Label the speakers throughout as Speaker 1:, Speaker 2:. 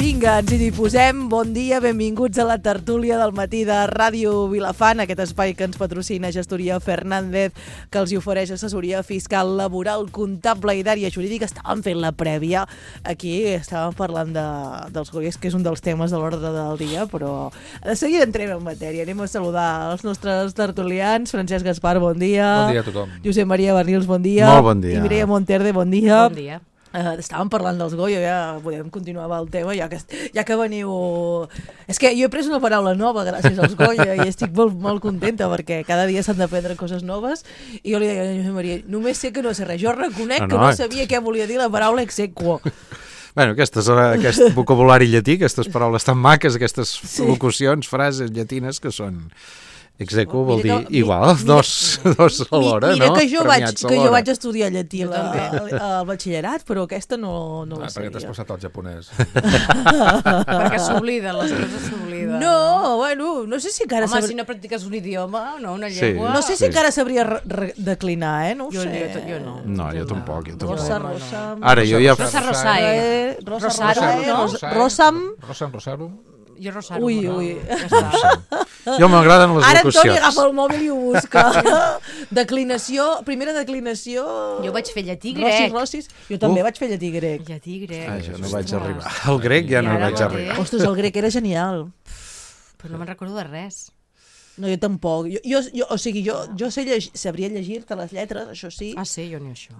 Speaker 1: Vinga, ens hi posem. Bon dia, benvinguts a la tertúlia del matí de Ràdio Vilafant, aquest espai que ens patrocina Gestoria Fernández, que els hi ofereix assessoria fiscal, laboral, comptable i d'àrea jurídica. Estàvem fent la prèvia. Aquí estàvem parlant dels goies, que és un dels temes de l'ordre del dia, però de seguida entrem en matèria. Anem a saludar els nostres tertulians. Francesc Gaspar, bon dia.
Speaker 2: Bon dia a tothom.
Speaker 1: Josep Maria Barrils, bon dia.
Speaker 3: Molt bon dia.
Speaker 1: I Mireia Monterde, bon dia.
Speaker 4: Bon dia.
Speaker 1: Estàvem parlant dels Goya, ja podem continuar amb el tema, ja que veniu... És que jo he pres una paraula nova gràcies als Goya i estic molt contenta perquè cada dia s'han d'aprendre coses noves i jo li deia a Josep Maria, només sé que no sé res, jo reconec que no sabia què volia dir la paraula exequo.
Speaker 3: Bueno, aquest vocabulari llatí, aquestes paraules tan maques, aquestes locucions, frases llatines que són... Exequo vol dir igual, dos alhora, no?
Speaker 1: Mira que jo vaig estudiar llatí al batxillerat, però aquesta no la sabia.
Speaker 2: Perquè t'has passat al japonès.
Speaker 4: Perquè s'obliden, les coses s'obliden.
Speaker 1: No, bueno, no sé si encara...
Speaker 4: Home, si no practiques un idioma, no, una llengua...
Speaker 1: No sé si encara sabria declinar, no ho sé.
Speaker 4: Jo no.
Speaker 3: No, jo tampoc.
Speaker 1: Rosa...
Speaker 3: Ara, jo ja...
Speaker 4: Rosarosae.
Speaker 1: Rosarum.
Speaker 4: Jo Rosarum.
Speaker 1: Ui.
Speaker 3: Jo m'agraden les
Speaker 1: Ara
Speaker 3: locucions.
Speaker 1: Antoni agafa el mòbil i ho busca. Declinació, primera declinació...
Speaker 4: Jo vaig fer llatí grec.
Speaker 1: Rossis. Jo també vaig fer llatí grec.
Speaker 4: Llatí grec.
Speaker 3: Jo no vaig arribar. El grec ja no vaig arribar.
Speaker 1: Ostres, el grec era genial.
Speaker 4: Però no me'n recordo de res.
Speaker 1: No, jo tampoc. Jo sabria llegir-te les lletres, això sí.
Speaker 4: Ah, sí? Jo ni això.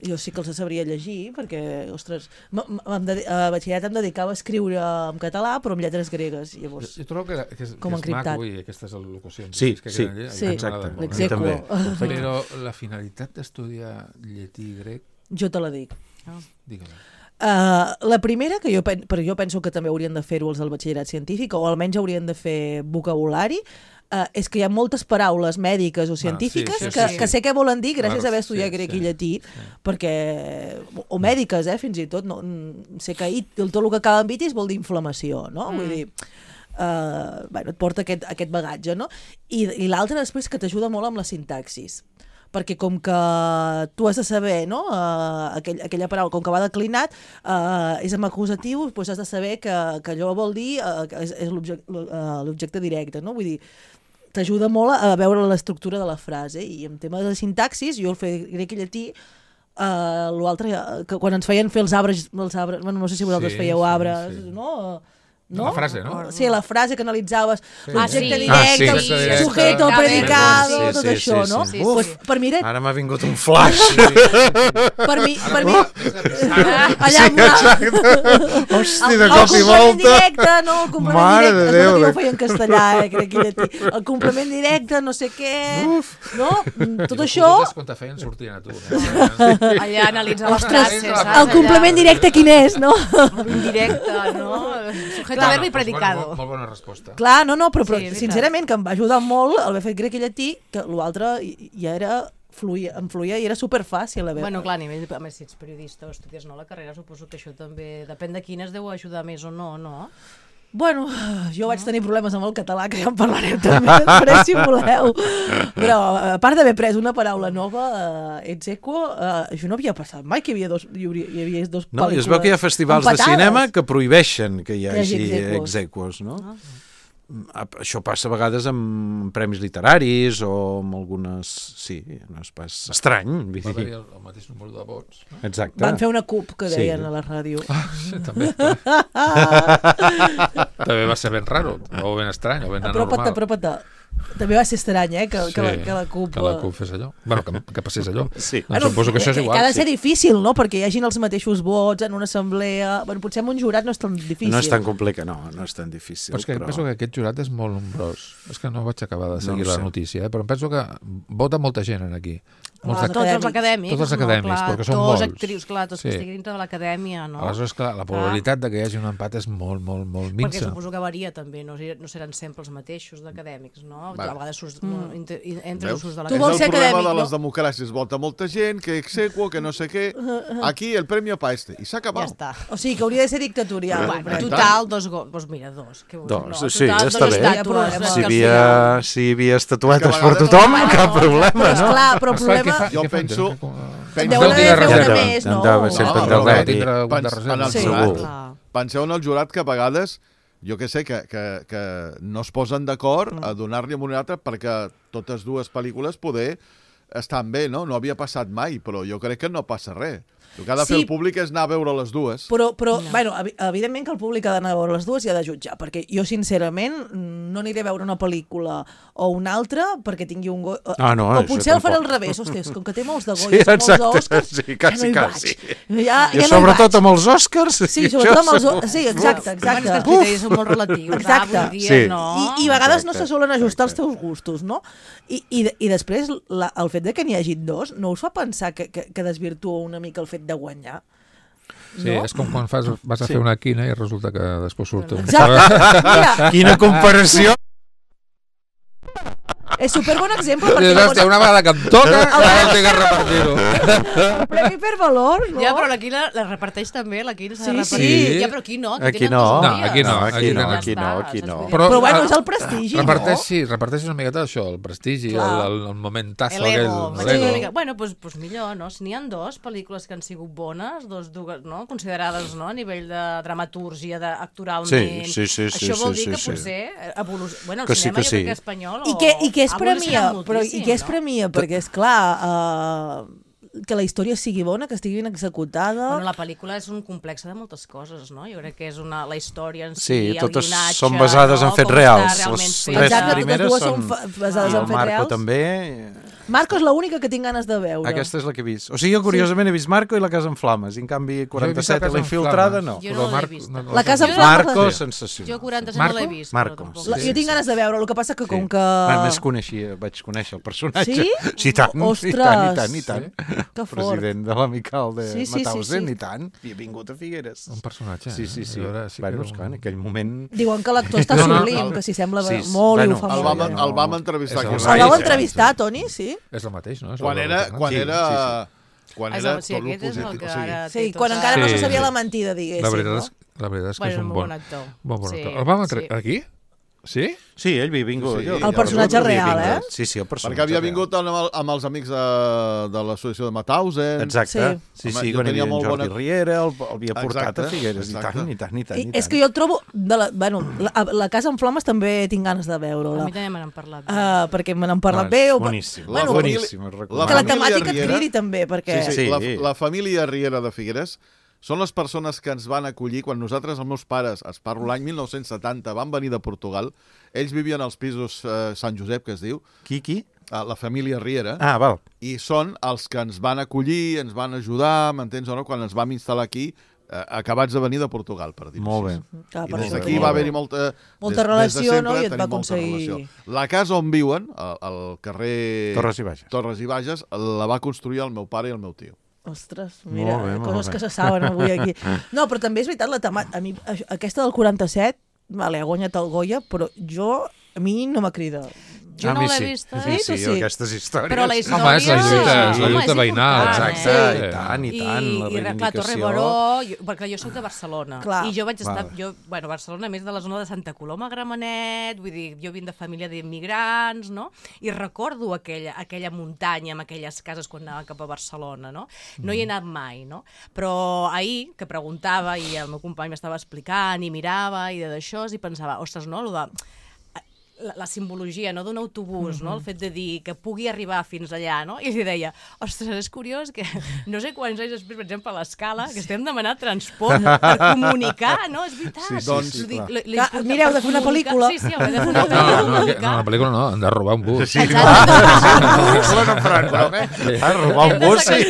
Speaker 1: Jo sí que els sabria llegir, perquè, ostres, a batxillerat em dedicava a escriure en català, però amb lletres gregues. Llavors,
Speaker 2: jo trobo que és maco, aquestes locucions.
Speaker 3: Sí,
Speaker 1: exacte.
Speaker 3: També.
Speaker 2: Però la finalitat d'estudiar llatí grec...
Speaker 1: Jo te la dic.
Speaker 2: Digue-la.
Speaker 1: La primera, però jo penso que també haurien de fer-ho els del batxillerat científic, o almenys haurien de fer vocabulari, és que hi ha moltes paraules mèdiques o científiques que sé què volen dir gràcies a haver estudiat grec i llatí, perquè, o mèdiques, fins i tot, no, sé que tot el que acaba amb itis vol dir inflamació, no? Vull dir, et porta aquest bagatge, no? I l'altre després que t'ajuda molt amb la sintaxis, perquè com que tu has de saber, no? Aquella paraula, com que va declinat, és amb acusatiu, doncs has de saber que allò vol dir és l'objecte directe, no? Vull dir, t'ajuda molt a veure l'estructura de la frase, i en tema de sintaxis, jo el fer grec i llatí, l'altre, que quan ens feien fer els arbres, bueno, no sé si vosaltres fèieu arbres, no?
Speaker 2: La frase, no?
Speaker 1: Sí, la frase que analitzaves, l'objecte directe, el sujeto, el predicado, tot això, no? Per mi era...
Speaker 3: Ara m'ha vingut un flash.
Speaker 1: Per mi...
Speaker 3: Allà... Hòstia, de cop i volta.
Speaker 1: El complement directe, no? El complement directe, jo ho feia en castellà, crec que llatí. El complement directe, no sé què... No? Tot això...
Speaker 2: I quan te feien sortien a tu.
Speaker 4: Allà analitzar les frases.
Speaker 1: El complement directe quin és, no?
Speaker 4: Indirecte, no? Sujeto, verbo i predicado.
Speaker 2: Molt bona resposta.
Speaker 1: Clar, no, però sincerament que em va ajudar molt haver fet grec i llatí, que l'altre ja era... em fluïa i era superfàcil a veure.
Speaker 4: Bueno, clar, a nivell, a més, si ets periodista o estudies la carrera, suposo que això també, depèn de quines deu ajudar més o no, no?
Speaker 1: Bueno, jo vaig tenir problemes amb el català, que ja en parlarem també després, si voleu. Però, a part d'haver pres una paraula nova, exequo, això no havia passat mai, que hi havia dos pel·lícules.
Speaker 3: No, i es veu que hi ha festivals de cinema que prohibeixen que hi hagi exequos, no? Això passa a vegades amb premis literaris o amb algunes... Sí, no és pas estrany.
Speaker 2: Va haver-hi el mateix número de vots.
Speaker 3: Exacte.
Speaker 1: Van fer una CUP, que deien a la ràdio.
Speaker 2: Sí, també. També va ser ben raro, o ben estrany, o ben anormal.
Speaker 1: Apropa't. També va ser estrany, que la CUP...
Speaker 2: Que la CUP fes allò. Bueno, que passés allò.
Speaker 3: Sí.
Speaker 2: Suposo que això és igual.
Speaker 1: Ha de ser difícil, no?, perquè hi hagin els mateixos vots en una assemblea... Bueno, potser amb un jurat no és tan difícil.
Speaker 3: No és tan complicat, no és tan difícil.
Speaker 2: Però és que penso que aquest jurat és molt nombrós. És que no vaig acabar de seguir la notícia, però em penso que vota molta gent aquí.
Speaker 4: Tots els acadèmics.
Speaker 2: Tots els acadèmics, perquè són molts.
Speaker 4: Actrius, clar, tots que estiguin dintre de l'acadèmia, no?
Speaker 2: Aleshores, clar, la probabilitat de que hi hagi un empat és molt minsa.
Speaker 4: Perquè suposo que varia també, no seran sempre els mateixos d'acadèmics, no? A vegades entre els de l'acadèmia.
Speaker 5: És el problema de les democràcies. Vota molta gent, que exequo, que no sé què. Aquí el premio pa este. I s'ha acabat.
Speaker 4: Ja està.
Speaker 1: O sigui, que hauria de ser dictatorial.
Speaker 4: Total, doncs mira, dos.
Speaker 3: Sí, està bé. Si hi havia estatuetes per tothom, cap problema, no?
Speaker 1: Clar, però el problema...
Speaker 5: Jo penso...
Speaker 1: Deu haver de fer una més, no?
Speaker 3: Sempre en el
Speaker 5: segur. penseu en el jurat que a vegades, jo què sé, que no es posen d'acord a donar-li a un altre perquè totes dues pel·lícules poder estan bé, no? No havia passat mai, però jo crec que no passa res. El que ha de fer el públic és anar a veure les dues.
Speaker 1: Però bueno, evidentment que el públic ha d'anar a veure les dues i ha de jutjar, perquè jo, sincerament, no aniré a veure una pel·lícula o una altra perquè tingui un Goya. O potser el faré al revés. Hòsties, com que té molts de Goya, molts Oscars, ja no hi vaig.
Speaker 3: I sobretot amb els Oscars.
Speaker 1: Sí, sobretot amb els Oscars. Sí, exacte.
Speaker 4: Els criteris són molt relatius.
Speaker 1: Exacte. I a vegades no se solen ajustar els teus gustos, no? I després, el fet que n'hi hagi dos, no us fa pensar que desvirtua una mica el fet de guanyar?
Speaker 2: Sí, no? És com quan vas a fer una quina i resulta que després surt un...
Speaker 1: Exacte.
Speaker 3: Quina comparació!
Speaker 1: És superbon exemple
Speaker 2: perquè... Una vegada que em toca, no tinc que repartir-ho.
Speaker 1: El premi per valor, no?
Speaker 4: Ja, però la Quina la reparteix també, la Quina s'ha de repartir.
Speaker 2: Sí.
Speaker 4: Ja, però aquí no.
Speaker 3: Aquí no.
Speaker 1: Però bueno, és el prestigi, no?
Speaker 2: Sí, reparteix una miqueta això, el prestigi, el momentazo.
Speaker 4: L'ego. Bueno, doncs millor, no? Si n'hi ha dues pel·lícules que han sigut bones, dues, no? Considerades, no? A nivell de dramatúrgia, d'actoralment. Això vol dir que potser bueno, el cinema jo crec que espanyol
Speaker 1: i què es premia, perquè és clar que la història sigui bona, que estigui ben executada.
Speaker 4: Bueno, la pel·lícula és un complex de moltes coses, no? Jo crec que és la història en si,
Speaker 3: el
Speaker 4: totes
Speaker 3: guionatge, són basades en fets reals. Les tres primeres són
Speaker 1: basades en fets reals.
Speaker 3: Marco també.
Speaker 1: Marco és l'única que tinc ganes de veure.
Speaker 3: Aquesta és la que he vist. O sigui, jo curiosament he vist Marco i La casa en flames, i en canvi 47 i La infiltrada no.
Speaker 4: Jo no l'he vist.
Speaker 1: La casa en flames...
Speaker 3: Marco, sensacional.
Speaker 4: Jo 47 no l'he vist.
Speaker 3: Marco.
Speaker 1: Jo tinc ganes de veure, el que passa que com que...
Speaker 3: Més vaig conèixer el personatge.
Speaker 1: Sí?
Speaker 3: Sí, tant.
Speaker 1: Ostres!
Speaker 3: I tant.
Speaker 1: Que fort.
Speaker 3: President de l'amical de Mauthausen, i tant. I ha vingut a Figueres.
Speaker 2: Un personatge.
Speaker 3: Sí. Bueno, és clar, en aquell moment...
Speaker 1: Diuen que l'actor està sublim, que s'hi sembla molt i ho fa molt bé.
Speaker 5: El vam entrevistar.
Speaker 1: El vau entrevistar, Toni, sí?
Speaker 2: És el mateix, no?
Speaker 5: Quan era tot el positiu.
Speaker 1: Sí, quan encara no se sabia la mentida, diguéssim.
Speaker 2: La veritat és que és un bon actor. El vam entrevistar aquí? Sí?
Speaker 3: Sí, ell havia vingut.
Speaker 1: El personatge real,
Speaker 3: Sí, el personatge
Speaker 5: perquè havia vingut amb els amics de l'associació de Mauthausen.
Speaker 3: Exacte. Sí, quan hi havia en Jordi Riera, el havia portat a Figueres. I tant.
Speaker 1: És que jo el trobo... La casa en flames també tinc ganes de veure-la.
Speaker 4: A mi també me n'han parlat.
Speaker 1: Perquè me n'han parlat bé.
Speaker 3: Boníssim.
Speaker 1: Que la temàtica et cridi també, perquè...
Speaker 5: Sí, la família Riera de Figueres són les persones que ens van acollir quan nosaltres, els meus pares, es parlo l'any 1970, van venir de Portugal. Ells vivien als pisos Sant Josep, que es diu.
Speaker 3: Qui?
Speaker 5: La família Riera.
Speaker 3: Val.
Speaker 5: I són els que ens van acollir, ens van ajudar, m'entens o no, quan ens vam instal·lar aquí, acabats de venir de Portugal, per dir-ho
Speaker 3: molt bé.
Speaker 5: I des d'aquí va haver-hi molta
Speaker 1: relació, no? I et va aconseguir...
Speaker 5: La casa on viuen, al carrer
Speaker 3: Torres i Bages,
Speaker 5: la va construir el meu pare i el meu tio.
Speaker 1: Ostres, mira, coses que se saben avui aquí. No, però també és veritat, a mi aquesta del 47, ha guanyat el Goya, però a mi no m'ha cridat.
Speaker 4: Jo no l'he vist.
Speaker 3: Sí, aquestes històries.
Speaker 4: Però la història...
Speaker 2: Home, és la lluita veïnal.
Speaker 3: Exacte, i tant, la reivindicació.
Speaker 4: I Torre Baró, perquè jo soc de Barcelona. I jo vaig estar... Barcelona, a més de la zona de Santa Coloma, Gramenet, vull dir, jo vinc de família d'immigrants, no? I recordo aquella muntanya amb aquelles cases quan anava cap a Barcelona, no? No hi he anat mai, no? Però ahir, que preguntava, i el meu company m'estava explicant, i mirava, i d'això, i pensava, ostres, no, la simbologia, no, d'un autobús, no, el fet de dir que pugui arribar fins allà, no? I li deia, ostres, és curiós que no sé quants anys després, per exemple, a l'escala, que estem demanant transport per comunicar, no? És veritat.
Speaker 1: Mireu, de fer una pel·lícula.
Speaker 4: Sí, heu de fer una pel·lícula.
Speaker 2: No, una pel·lícula no, han de robar un bus.
Speaker 3: Sí, clar. Robar un bus, sí.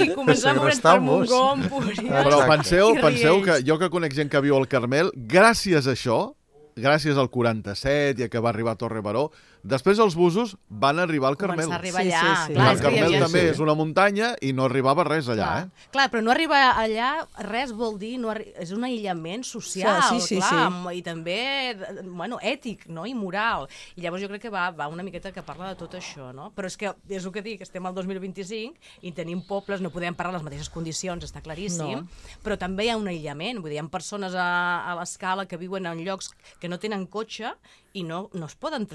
Speaker 4: I començar a moure's per Montgó, Empúries.
Speaker 5: Però penseu que jo que conec gent que viu al Carmel, gràcies a això, gràcies al 47 i a que va arribar a Torre Baró, després els busos van arribar al Carmel.
Speaker 4: Començar a arribar allà.
Speaker 1: Clar,
Speaker 5: el Carmel també és una muntanya i no arribava res allà,
Speaker 4: Clar, però no arribar allà, res vol dir... És un aïllament social, clar, i també, ètic, no?, i moral. I llavors jo crec que va una miqueta que parla de tot això, no? Però és el que dic, estem al 2025 i tenim pobles, no podem parlar en les mateixes condicions, està claríssim, però també hi ha un aïllament, vull dir, hi ha persones a l'escala que viuen en llocs que no tenen cotxe i no es poden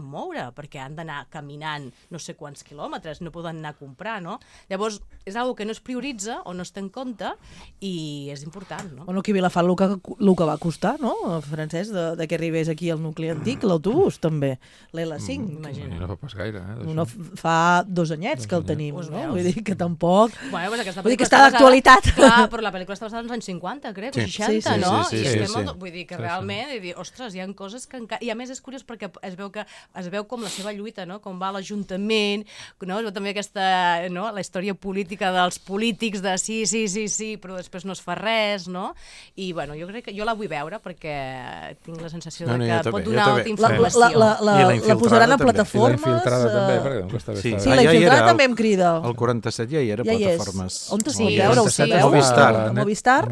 Speaker 4: poden moure, perquè han d'anar caminant no sé quants quilòmetres, no poden anar a comprar, no? Llavors, és una que no es prioritza o no es té en compte i és important, no?
Speaker 1: Bueno, aquí a Vilafant el que va costar, no, Francesc, de que arribés aquí al nucli antic, l'autobús, també, l'L5.
Speaker 2: Imagina't. No fa pas gaire,
Speaker 1: No, fa 2 anyets que el tenim, no? Vull dir que tampoc...
Speaker 4: Bueno, pues
Speaker 1: vull dir que està d'actualitat.
Speaker 4: Clar, però la pel·lícula està basada als anys 50, crec, o 60, no?
Speaker 3: Sí.
Speaker 4: Vull dir que realment, ostres, hi ha coses que encara... I a més és curiós perquè es veu com la seva lluita, no? Com va a l'Ajuntament, no? Es veu també aquesta, no? La història política dels polítics de sí, però després no es fa res, no? I, bueno, jo crec que jo la vull veure perquè tinc la sensació que pot donar alta informació.
Speaker 1: La posaran a plataformes...
Speaker 2: I la infiltrada també, perquè no està bé.
Speaker 1: Sí, la infiltrada també em crida.
Speaker 3: El 47 ja hi era plataformes.
Speaker 1: On es pot veure? Ho sabeu?
Speaker 2: Movistar.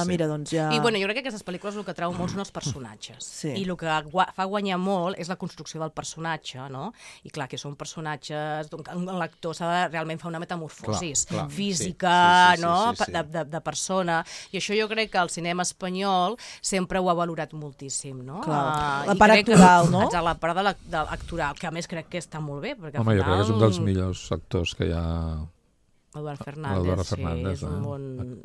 Speaker 1: Mira, doncs ja...
Speaker 4: I, bueno, jo crec que aquestes pel·lícules el que trau molt són els personatges. I el que fa guanyar molt és la construcció del personatge, no? I, clar, que són personatges... L'actor s'ha de realment fer una metamorfosis física, no? De persona. I això jo crec que el cinema espanyol sempre ho ha valorat moltíssim, no?
Speaker 1: La part actoral, no?
Speaker 4: Exacte, la part de l'actoral, que a més crec que està molt bé.
Speaker 2: Home, jo crec que és un dels millors actors que hi ha...
Speaker 4: Eduard Fernández,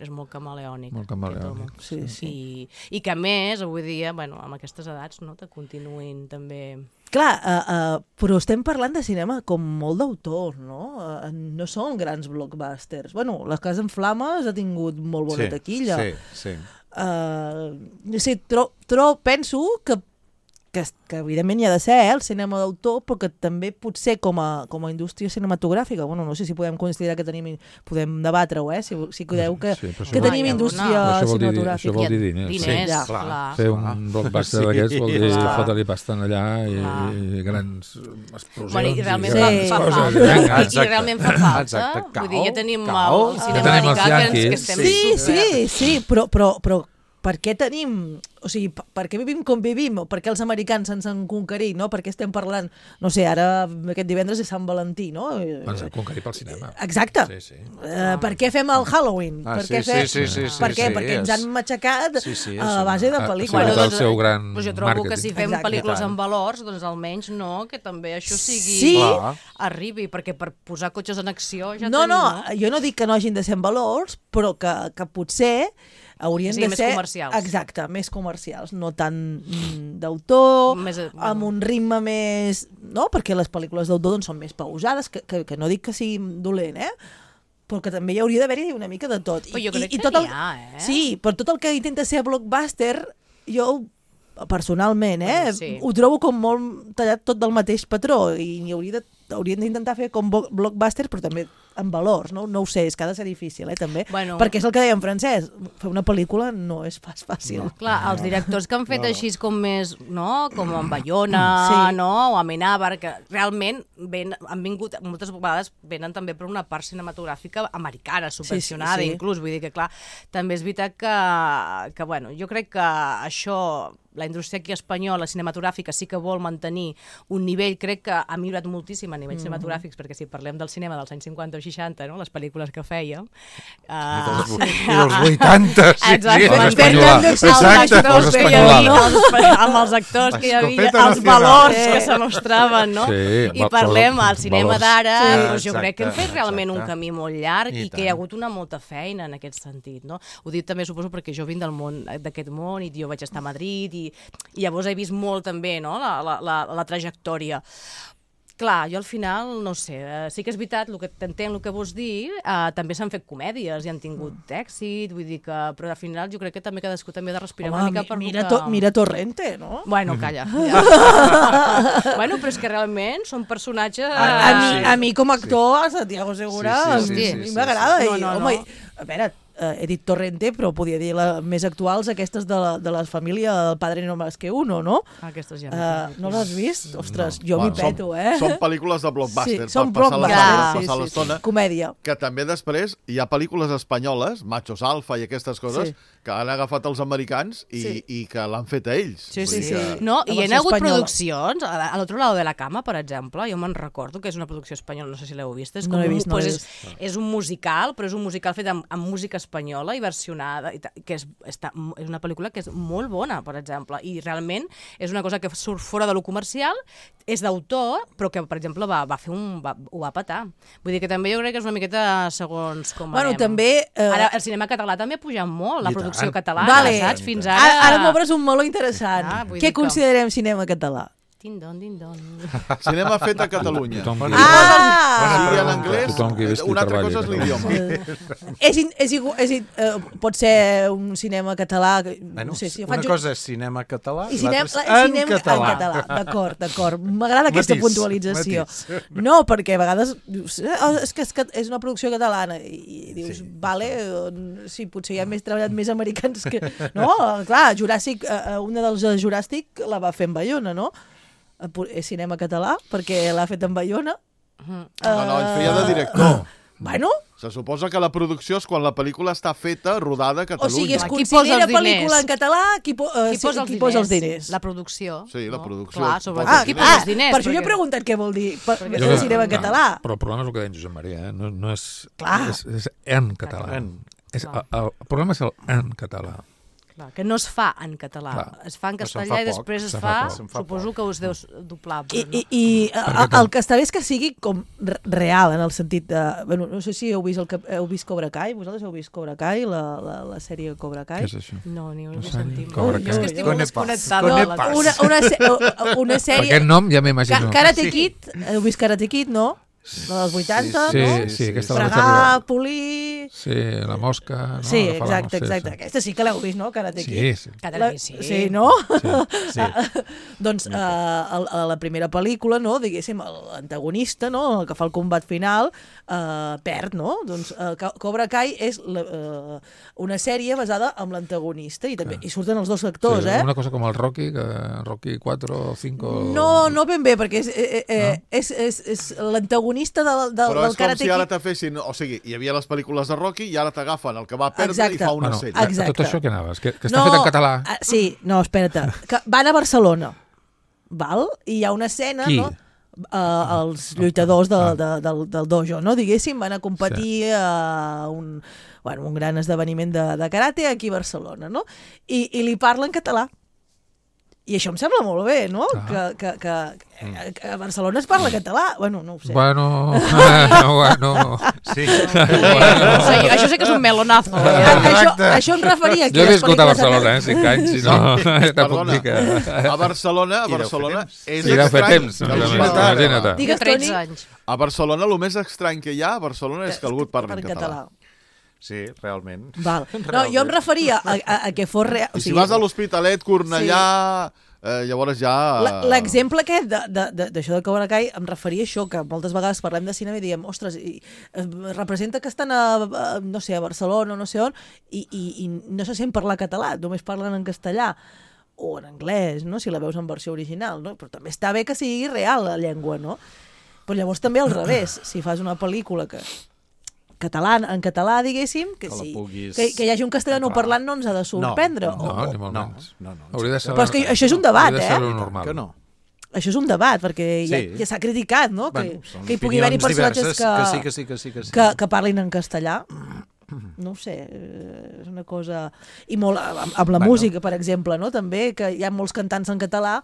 Speaker 4: és molt camaleònic.
Speaker 2: Molt camaleònic.
Speaker 1: Sí.
Speaker 4: I que a més, avui dia, bueno, amb aquestes edats, no, te continuïn també...
Speaker 1: Clar, però estem parlant de cinema com molt d'autor, no? No són grans blockbusters. Bueno, La Casa en Flames ha tingut molt bona taquilla.
Speaker 3: Sí.
Speaker 1: Penso que evidentment hi ha de ser el cinema d'autor, però que també potser com a indústria cinematogràfica, bueno, no sé si podem considerar que podem debatre-ho, si credeu que tenim indústria cinematogràfica.
Speaker 2: Això vol dir diners.
Speaker 4: Clar.
Speaker 2: Fer un blockbuster d'aquests vol dir fotre-li pasta allà i grans explosions.
Speaker 4: I realment fa falta. Vull dir, ja tenim el cinema americà que estem...
Speaker 1: Sí, però per què tenim... O sigui, per què vivim com vivim? O per què els americans ens han conquerit, no? Per què estem parlant... No sé, ara aquest divendres és Sant Valentí, no?
Speaker 2: Ens han conquerit pel cinema.
Speaker 1: Exacte. Per què fem el Halloween? Per què? Perquè ens han matxacat a base de pel·lícules.
Speaker 4: Jo trobo que si fem pel·lícules amb valors, doncs almenys no, que també això sigui... arribi, perquè per posar cotxes en acció ja tenim...
Speaker 1: No, jo no dic que no hagin de ser en valors, però que potser haurien de ser...
Speaker 4: més comercials.
Speaker 1: Exacte, més comercials, no tant d'autor, amb un ritme més... No? Perquè les pel·lícules d'autor doncs, són més pausades, que no dic que sigui dolent, però que també hi hauria d'haver-hi una mica de tot.
Speaker 4: Però jo crec que n'hi ha,
Speaker 1: Sí, però tot el que intenta ser blockbuster, jo personalment, ho trobo com molt tallat tot del mateix patró, i haurien d'intentar fer com blockbuster, però també amb valors, no ho sé, és que ha de ser difícil, també, perquè és el que deia en Francesc, fer una pel·lícula no és pas fàcil.
Speaker 4: Clar, els directors que han fet així com més, no?, com en Bayona, no?, o Amenábar, que realment han vingut, moltes vegades venen també per una part cinematogràfica americana, subvencionada, inclús, vull dir que, clar, també és veritat que bueno, jo crec que això... La indústria aquí espanyola, cinematogràfica, sí que vol mantenir un nivell, crec que ha millorat moltíssim a nivells cinematogràfics, perquè si parlem del cinema dels anys 50 o 60, no? Les pel·lícules que fèiem...
Speaker 3: I dels 80,
Speaker 4: amb els actors que hi havia, els valors que se mostraven, no? I parlem al cinema d'ara, jo crec que hem fet realment un camí molt llarg i que hi ha hagut una molta feina en aquest sentit, no? Ho dic també, suposo, perquè jo vinc d'aquest món i jo vaig estar a Madrid i llavors he vist molt també, no?, la trajectòria. Clar, jo al final, no sé, sí que és veritat, t'entenc el que vols dir, també s'han fet comèdies i han tingut èxit, vull dir que... Però al final jo crec que també cadascú també ha de respirar una mica per
Speaker 1: mira Torrente, no?
Speaker 4: Bueno, calla. Bueno, però és que realment són personatges...
Speaker 1: A mi com a actor, a Santiago Segura, a mi m'agrada. Home, a veure... he dit Torrente, però podia dir més actuals, aquestes de la família del Padre no más que uno, no?
Speaker 4: Aquestes ja
Speaker 1: no les has vist? Ostres, jo m'hi peto,
Speaker 5: Són pel·lícules de blockbuster,
Speaker 1: són
Speaker 5: per passar l'estona.
Speaker 1: Comèdia.
Speaker 5: Que també després hi ha pel·lícules espanyoles, Machos Alfa i aquestes coses, que han agafat els americans i que l'han fet a ells.
Speaker 4: No, i hi ha hagut produccions, a l'altre lado de la cama, per exemple, jo me'n recordo que és una producció espanyola, no sé si l'heu vist, és un musical, però és un musical fet amb música espanyola, espanyola i versionada, que és una pel·lícula que és molt bona, per exemple, i realment és una cosa que surt fora de lo comercial, és d'autor, però que, per exemple, ho va petar. Vull dir que també jo crec que és una miqueta segons com anem.
Speaker 1: També...
Speaker 4: Ara, el cinema català també ha pujat molt, la producció catalana, saps? Fins ara...
Speaker 1: Ara m'obres un meló interessant. Què considerem cinema català?
Speaker 4: Din-don.
Speaker 5: Cinema fet a Catalunya.
Speaker 2: Sigui
Speaker 5: en anglès, una altra cosa és l'idioma.
Speaker 1: Pot ser un cinema català...
Speaker 3: Una cosa és cinema català i
Speaker 1: l'altra
Speaker 3: és en català.
Speaker 1: D'acord. M'agrada aquesta puntualització. No, perquè a vegades dius, és que és una producció catalana i dius, vale, sí, potser hi ha treballat més americans que... No, clar, Juràssic, una dels Juràssic la va fer en Bayona, no? És cinema català, perquè l'ha fet en Bayona.
Speaker 5: No, ell feia de director.
Speaker 1: Bueno...
Speaker 5: Se suposa que la producció és quan la pel·lícula està feta, rodada a Catalunya.
Speaker 1: O sigui, es considera pel·lícula en català, qui posa els diners?
Speaker 4: La producció.
Speaker 5: Sí, la producció.
Speaker 4: Clar, sobretot qui posa els diners.
Speaker 1: Per això jo he preguntat què vol dir cinema en català.
Speaker 2: Però el problema és el que deia Josep Maria, no és...
Speaker 1: Clar.
Speaker 2: És en català. El problema és el en català.
Speaker 4: Que no es fa en català, es fa en castellà i després es fa, suposo que us deus doblar.
Speaker 1: I el que està bé és que sigui com real, en el sentit de... Bueno, no sé si heu vist Cobra Kai, vosaltres heu vist Cobra Kai, la sèrie Cobra Kai?
Speaker 2: Què és això?
Speaker 4: No, ni ho sentim.
Speaker 2: És
Speaker 4: que estic molt desconnectada.
Speaker 1: Una sèrie...
Speaker 2: Per aquest nom ja m'imagino.
Speaker 1: Karate Kid, heu vist Karate Kid, no? dels 80, no?
Speaker 2: Sí, aquesta
Speaker 1: fregar, polir...
Speaker 2: Sí, la mosca... No?
Speaker 1: Sí, exacte. Aquesta sí que l'heu vist, no? Karate Kid.
Speaker 2: Sí.
Speaker 1: Sí, no?
Speaker 2: Sí.
Speaker 1: Doncs a la primera pel·lícula, no? Diguéssim, l'antagonista, no? El que fa el combat final, perd, no? Doncs Cobra Kai és una sèrie basada en l'antagonista i també hi surten els dos actors,
Speaker 2: Una cosa com el Rocky, Rocky 4 o 5...
Speaker 1: No ben bé, perquè és l'antagonista del Karate Kid.
Speaker 5: Però és com si ara te fessin... O sigui, hi havia les pel·lícules de Rocky i ara t'agafen el que va perdre i fa una sèrie.
Speaker 1: Exacte.
Speaker 2: Tot això que anaves? Que està fet en català?
Speaker 1: Sí, no, espera't. Que van a Barcelona, val? I hi ha una escena...
Speaker 2: Qui?
Speaker 1: No? Els lluitadors del dojo, no? Diguéssim, van a competir a un gran esdeveniment de karate aquí a Barcelona, no? I li parla en català. I això em sembla molt bé, no? Que a Barcelona es parla català. Bueno, no ho sé.
Speaker 2: Bueno.
Speaker 3: Sí.
Speaker 4: Això sé que és un melonazo.
Speaker 1: Això em referia...
Speaker 2: Jo he viscut a Barcelona, 5 anys, i no puc dir que...
Speaker 5: A Barcelona és
Speaker 2: estrany.
Speaker 4: Imagina't. Digues, 13 anys.
Speaker 5: A Barcelona, el més estrany que hi ha a Barcelona és que algú et parli en català.
Speaker 3: Sí, realment.
Speaker 1: Val. No, jo em referia a que fos real...
Speaker 5: I si vas a l'Hospitalet, Cornellà, llavors ja...
Speaker 1: L'exemple aquest d'això de Cobra Kai em referia a això, que moltes vegades parlem de cinema i diem, ostres, representa que estan a Barcelona o no sé on, i no se sent parlar català, només parlen en castellà o en anglès, no? Si la veus en versió original, no? Però també està bé que sigui real la llengua, no? Però llavors també al revés, si fas una pel·lícula en català, diguéssim, que hi hagi un castellano parlant no ens ha de sorprendre.
Speaker 2: No, ni molt menys.
Speaker 1: Però és que això és un debat,
Speaker 2: Que
Speaker 3: no.
Speaker 1: Això és un debat, perquè ja s'ha criticat, no? Que hi pugui haver-hi personatges que parlin en castellà. No ho sé, és una cosa... I molt amb la música, per exemple, no? També, que hi ha molts cantants en català,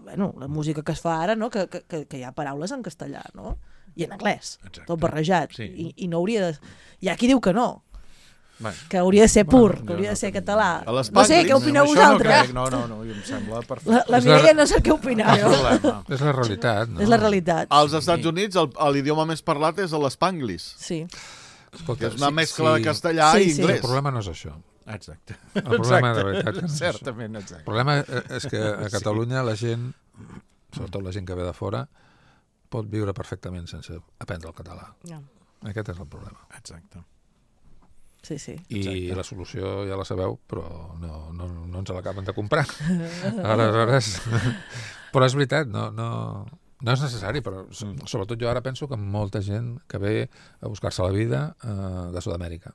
Speaker 1: la música que es fa ara, no? Que hi ha paraules en castellà, no? I en anglès, tot barrejat. I no hauria de... Hi ha qui diu que no, que hauria de ser pur, que hauria de ser català. No sé, què opineu vosaltres?
Speaker 3: No, em sembla perfecte.
Speaker 1: La Mireia no sé què opineu.
Speaker 2: És la realitat, no?
Speaker 1: És la realitat.
Speaker 5: Als Estats Units l'idioma més parlat és l'Spanglish.
Speaker 1: Sí.
Speaker 5: Que és una mescla de castellà i anglès.
Speaker 2: El problema no és això.
Speaker 3: Exacte.
Speaker 2: El problema de veritat no és això.
Speaker 3: Certament, exacte.
Speaker 2: El problema és que a Catalunya la gent, sobretot la gent que ve de fora, pot viure perfectament sense aprendre el català. Aquest és el problema.
Speaker 3: Exacte.
Speaker 1: Sí.
Speaker 2: I la solució ja la sabeu, però no ens l'acaben de comprar. Aleshores... Però és veritat, no és necessari, però sobretot jo ara penso que molta gent que ve a buscar-se la vida de Sud-amèrica.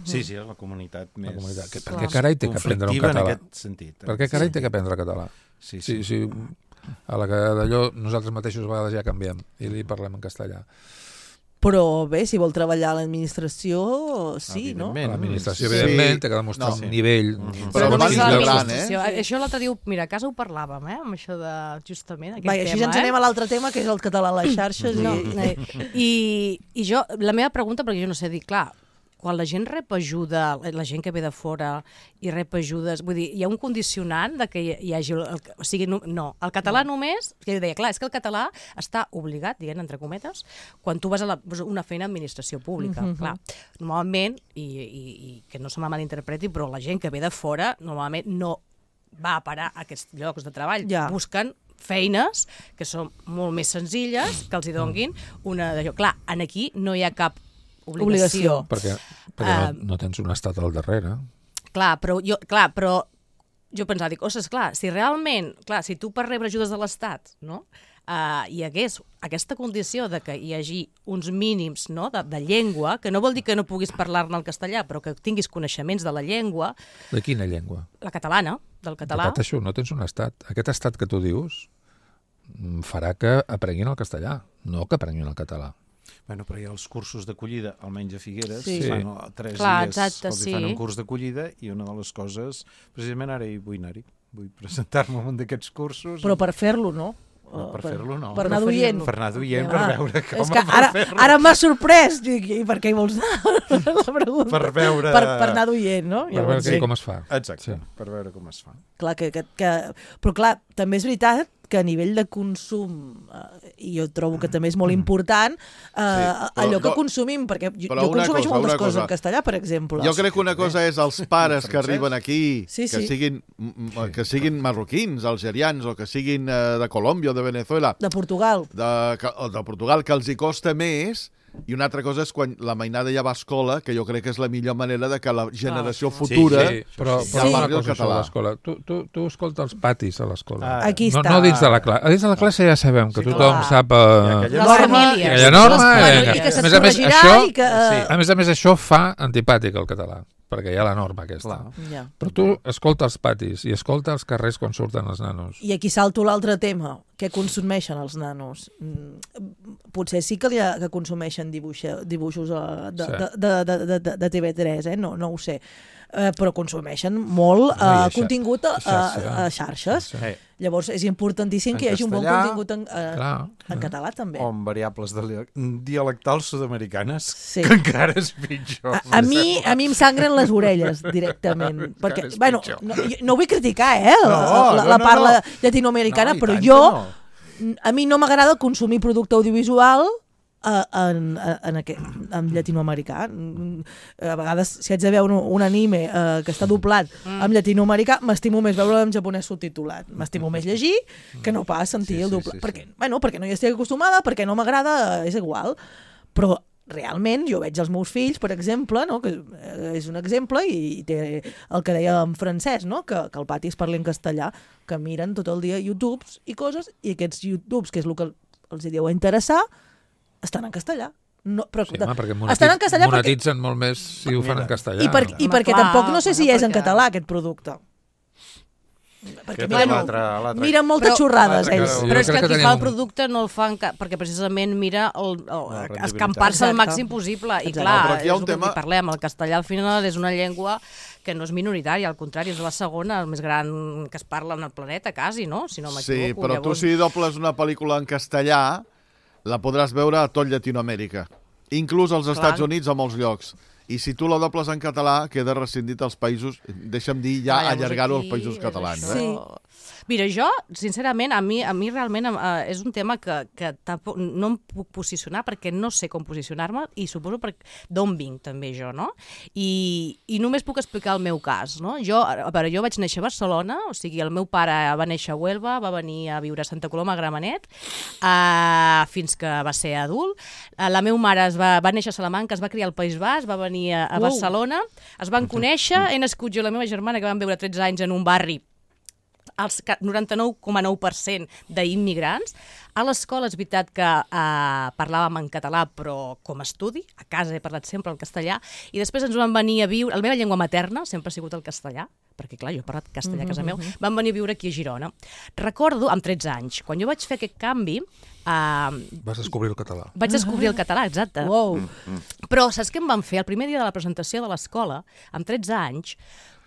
Speaker 3: Sí, és la comunitat més...
Speaker 2: Per què carai té que aprendre un català?
Speaker 3: En aquest sentit.
Speaker 2: Per què carai té que aprendre català? Sí. A la que d'allò nosaltres mateixos a vegades ja canviem i li parlem en castellà.
Speaker 1: Però bé, si vol treballar a l'administració, sí, no?
Speaker 2: L'administració, evidentment, té que demostrar un nivell...
Speaker 5: Però abans de gran,
Speaker 4: Això l'altre dia, mira, a casa ho parlàvem, amb això de, justament, aquest tema.
Speaker 1: Així ja ens anem a l'altre tema, que és el català a les xarxes.
Speaker 4: I jo, la meva pregunta, perquè jo no sé dir, clar, quan la gent rep ajuda, la gent que ve de fora i rep ajudes, vull dir, hi ha un condicionant de que hi hagi... O sigui, no, el català només... Que jo deia, clar, és que el català està obligat, diguem, entre cometes, quan tu vas a una feina d'administració pública. Clar, normalment, i que no se me malinterpreti, però la gent que ve de fora normalment no va a parar a aquests llocs de treball. Busquen feines que són molt més senzilles, que els hi donguin una d'allò. Clar, aquí no hi ha cap obligació.
Speaker 2: Perquè no tens un estat al darrere.
Speaker 4: Clar, però jo pensava, dic, ostres, clar, si realment, si tu per rebre ajudes de l'Estat, no?, hi hagués aquesta condició de que hi hagi uns mínims, no?, de llengua, que no vol dir que no puguis parlar-ne el castellà, però que tinguis coneixements de la llengua.
Speaker 2: De quina llengua?
Speaker 4: La catalana, del català.
Speaker 2: Això, no tens un estat. Aquest estat que tu dius farà que aprenguin el castellà, no que aprenguin el català.
Speaker 3: Bueno, però hi ha els cursos d'acollida, almenys a Figueres,
Speaker 4: fan
Speaker 3: 3 dies els fan un curs d'acollida i una de les coses, precisament ara hi vull anar-hi, vull presentar-me en un d'aquests cursos.
Speaker 1: Però per fer-lo, no?
Speaker 3: Per fer-lo, no.
Speaker 1: Per anar d'oient.
Speaker 3: Per anar d'oient, per veure com...
Speaker 1: És que ara m'ha sorprès, i per què hi vols anar? La pregunta.
Speaker 3: Per veure...
Speaker 1: Per anar d'oient, no?
Speaker 2: Per veure com es fa.
Speaker 3: Exacte, per veure com es fa.
Speaker 1: Clar, però clar, també és veritat que a nivell de consum, i jo trobo que també és molt important, allò que consumim, perquè jo consumeixo moltes coses en castellà, per exemple.
Speaker 5: Jo crec que una cosa és els pares que arriben aquí, que siguin marroquins, algerians, o que siguin de Colòmbia o de Venezuela.
Speaker 1: De Portugal.
Speaker 5: De Portugal, que els hi costa més. I una altra cosa és quan la mainada ja va a escola, que jo crec que és la millor manera de que la generació futura
Speaker 2: parli el català. Tu escolta els patis a l'escola.
Speaker 1: Aquí està.
Speaker 2: No dins de la classe. A dins de la classe ja sabem que tothom sap...
Speaker 4: Aquella
Speaker 2: norma.
Speaker 1: I que se't corregirà i que...
Speaker 2: A més, això fa antipàtic el català, perquè hi ha la norma aquesta. Però tu escolta els patis i escolta els carrers quan surten els nanos.
Speaker 1: I aquí salto l'altre tema. Què consumeixen els nanos? Potser sí que consumeixen dibuixos de TV3, no ho sé. Però consumeixen molt contingut a xarxes. Llavors és importantíssim que hi hagi un bon contingut en català també.
Speaker 3: O en variables dialectals sud-americanes, que encara és pitjor.
Speaker 1: A mi em sangren les orelles directament. Perquè, bueno, no vull criticar la parla llatinoamericana, però a mi no m'agrada consumir producte audiovisual en llatinoamericà. A vegades, si haig de veure un anime que està doblat en llatinoamericà, m'estimo més veure en japonès subtitulat. M'estimo més llegir que no pas sentir el doblat. Perquè no hi estic acostumada, perquè no m'agrada, és igual. Però realment jo veig els meus fills, per exemple, que és un exemple, i té el que deia en francès, que al pati es parli en castellà, que miren tot el dia YouTubes i coses, i aquests YouTubes, que és el que els deu interessar, estan en castellà.
Speaker 2: Perquè monetitzen molt més si ho fan en castellà.
Speaker 1: I perquè tampoc no sé si és en català aquest producte. Perquè miren moltes xorrades ells.
Speaker 4: Però és que qui fa el producte no el fa perquè precisament mira escampar-se al màxim possible. I clar, és el que parlem, el castellà al final és una llengua que no és minoritària, al contrari, és la segona, el més gran que es parla en el planeta, quasi, no? Si no m'equivoco.
Speaker 5: Sí, però tu si dobles una pel·lícula en castellà, la podràs veure a tot Llatinoamèrica, inclús als Estats Units a molts llocs. I si tu la dobles en català, queda rescindit als països, deixa'm dir ja allargar-ho als països catalans.
Speaker 4: Sí. Mira, jo, sincerament, a mi realment és un tema que tampoc no em puc posicionar perquè no sé com posicionar-me i suposo d'on vinc també jo, no? I només puc explicar el meu cas, no? Jo vaig néixer a Barcelona, o sigui, el meu pare va néixer a Huelva, va venir a viure a Santa Coloma, a Gramenet, fins que va ser adult. La meva mare va néixer a Salamanca, es va criar al País Basc, va venir a Barcelona, es van conèixer, he nascut jo i la meva germana, que vam viure 13 anys en un barri el 99,9% d'immigrants. A l'escola és veritat que parlàvem en català, però com a estudi. A casa he parlat sempre el castellà. I després ens van venir a viure... La meva llengua materna sempre ha sigut el castellà, perquè clar, jo he parlat castellà a casa meu, van venir a viure aquí a Girona. Recordo, amb 13 anys, quan jo vaig fer aquest canvi...
Speaker 2: Vas descobrir el català.
Speaker 4: Vaig descobrir el català, exacte.
Speaker 1: Wow.
Speaker 4: Però saps què em van fer? El primer dia de la presentació de l'escola, amb 13 anys,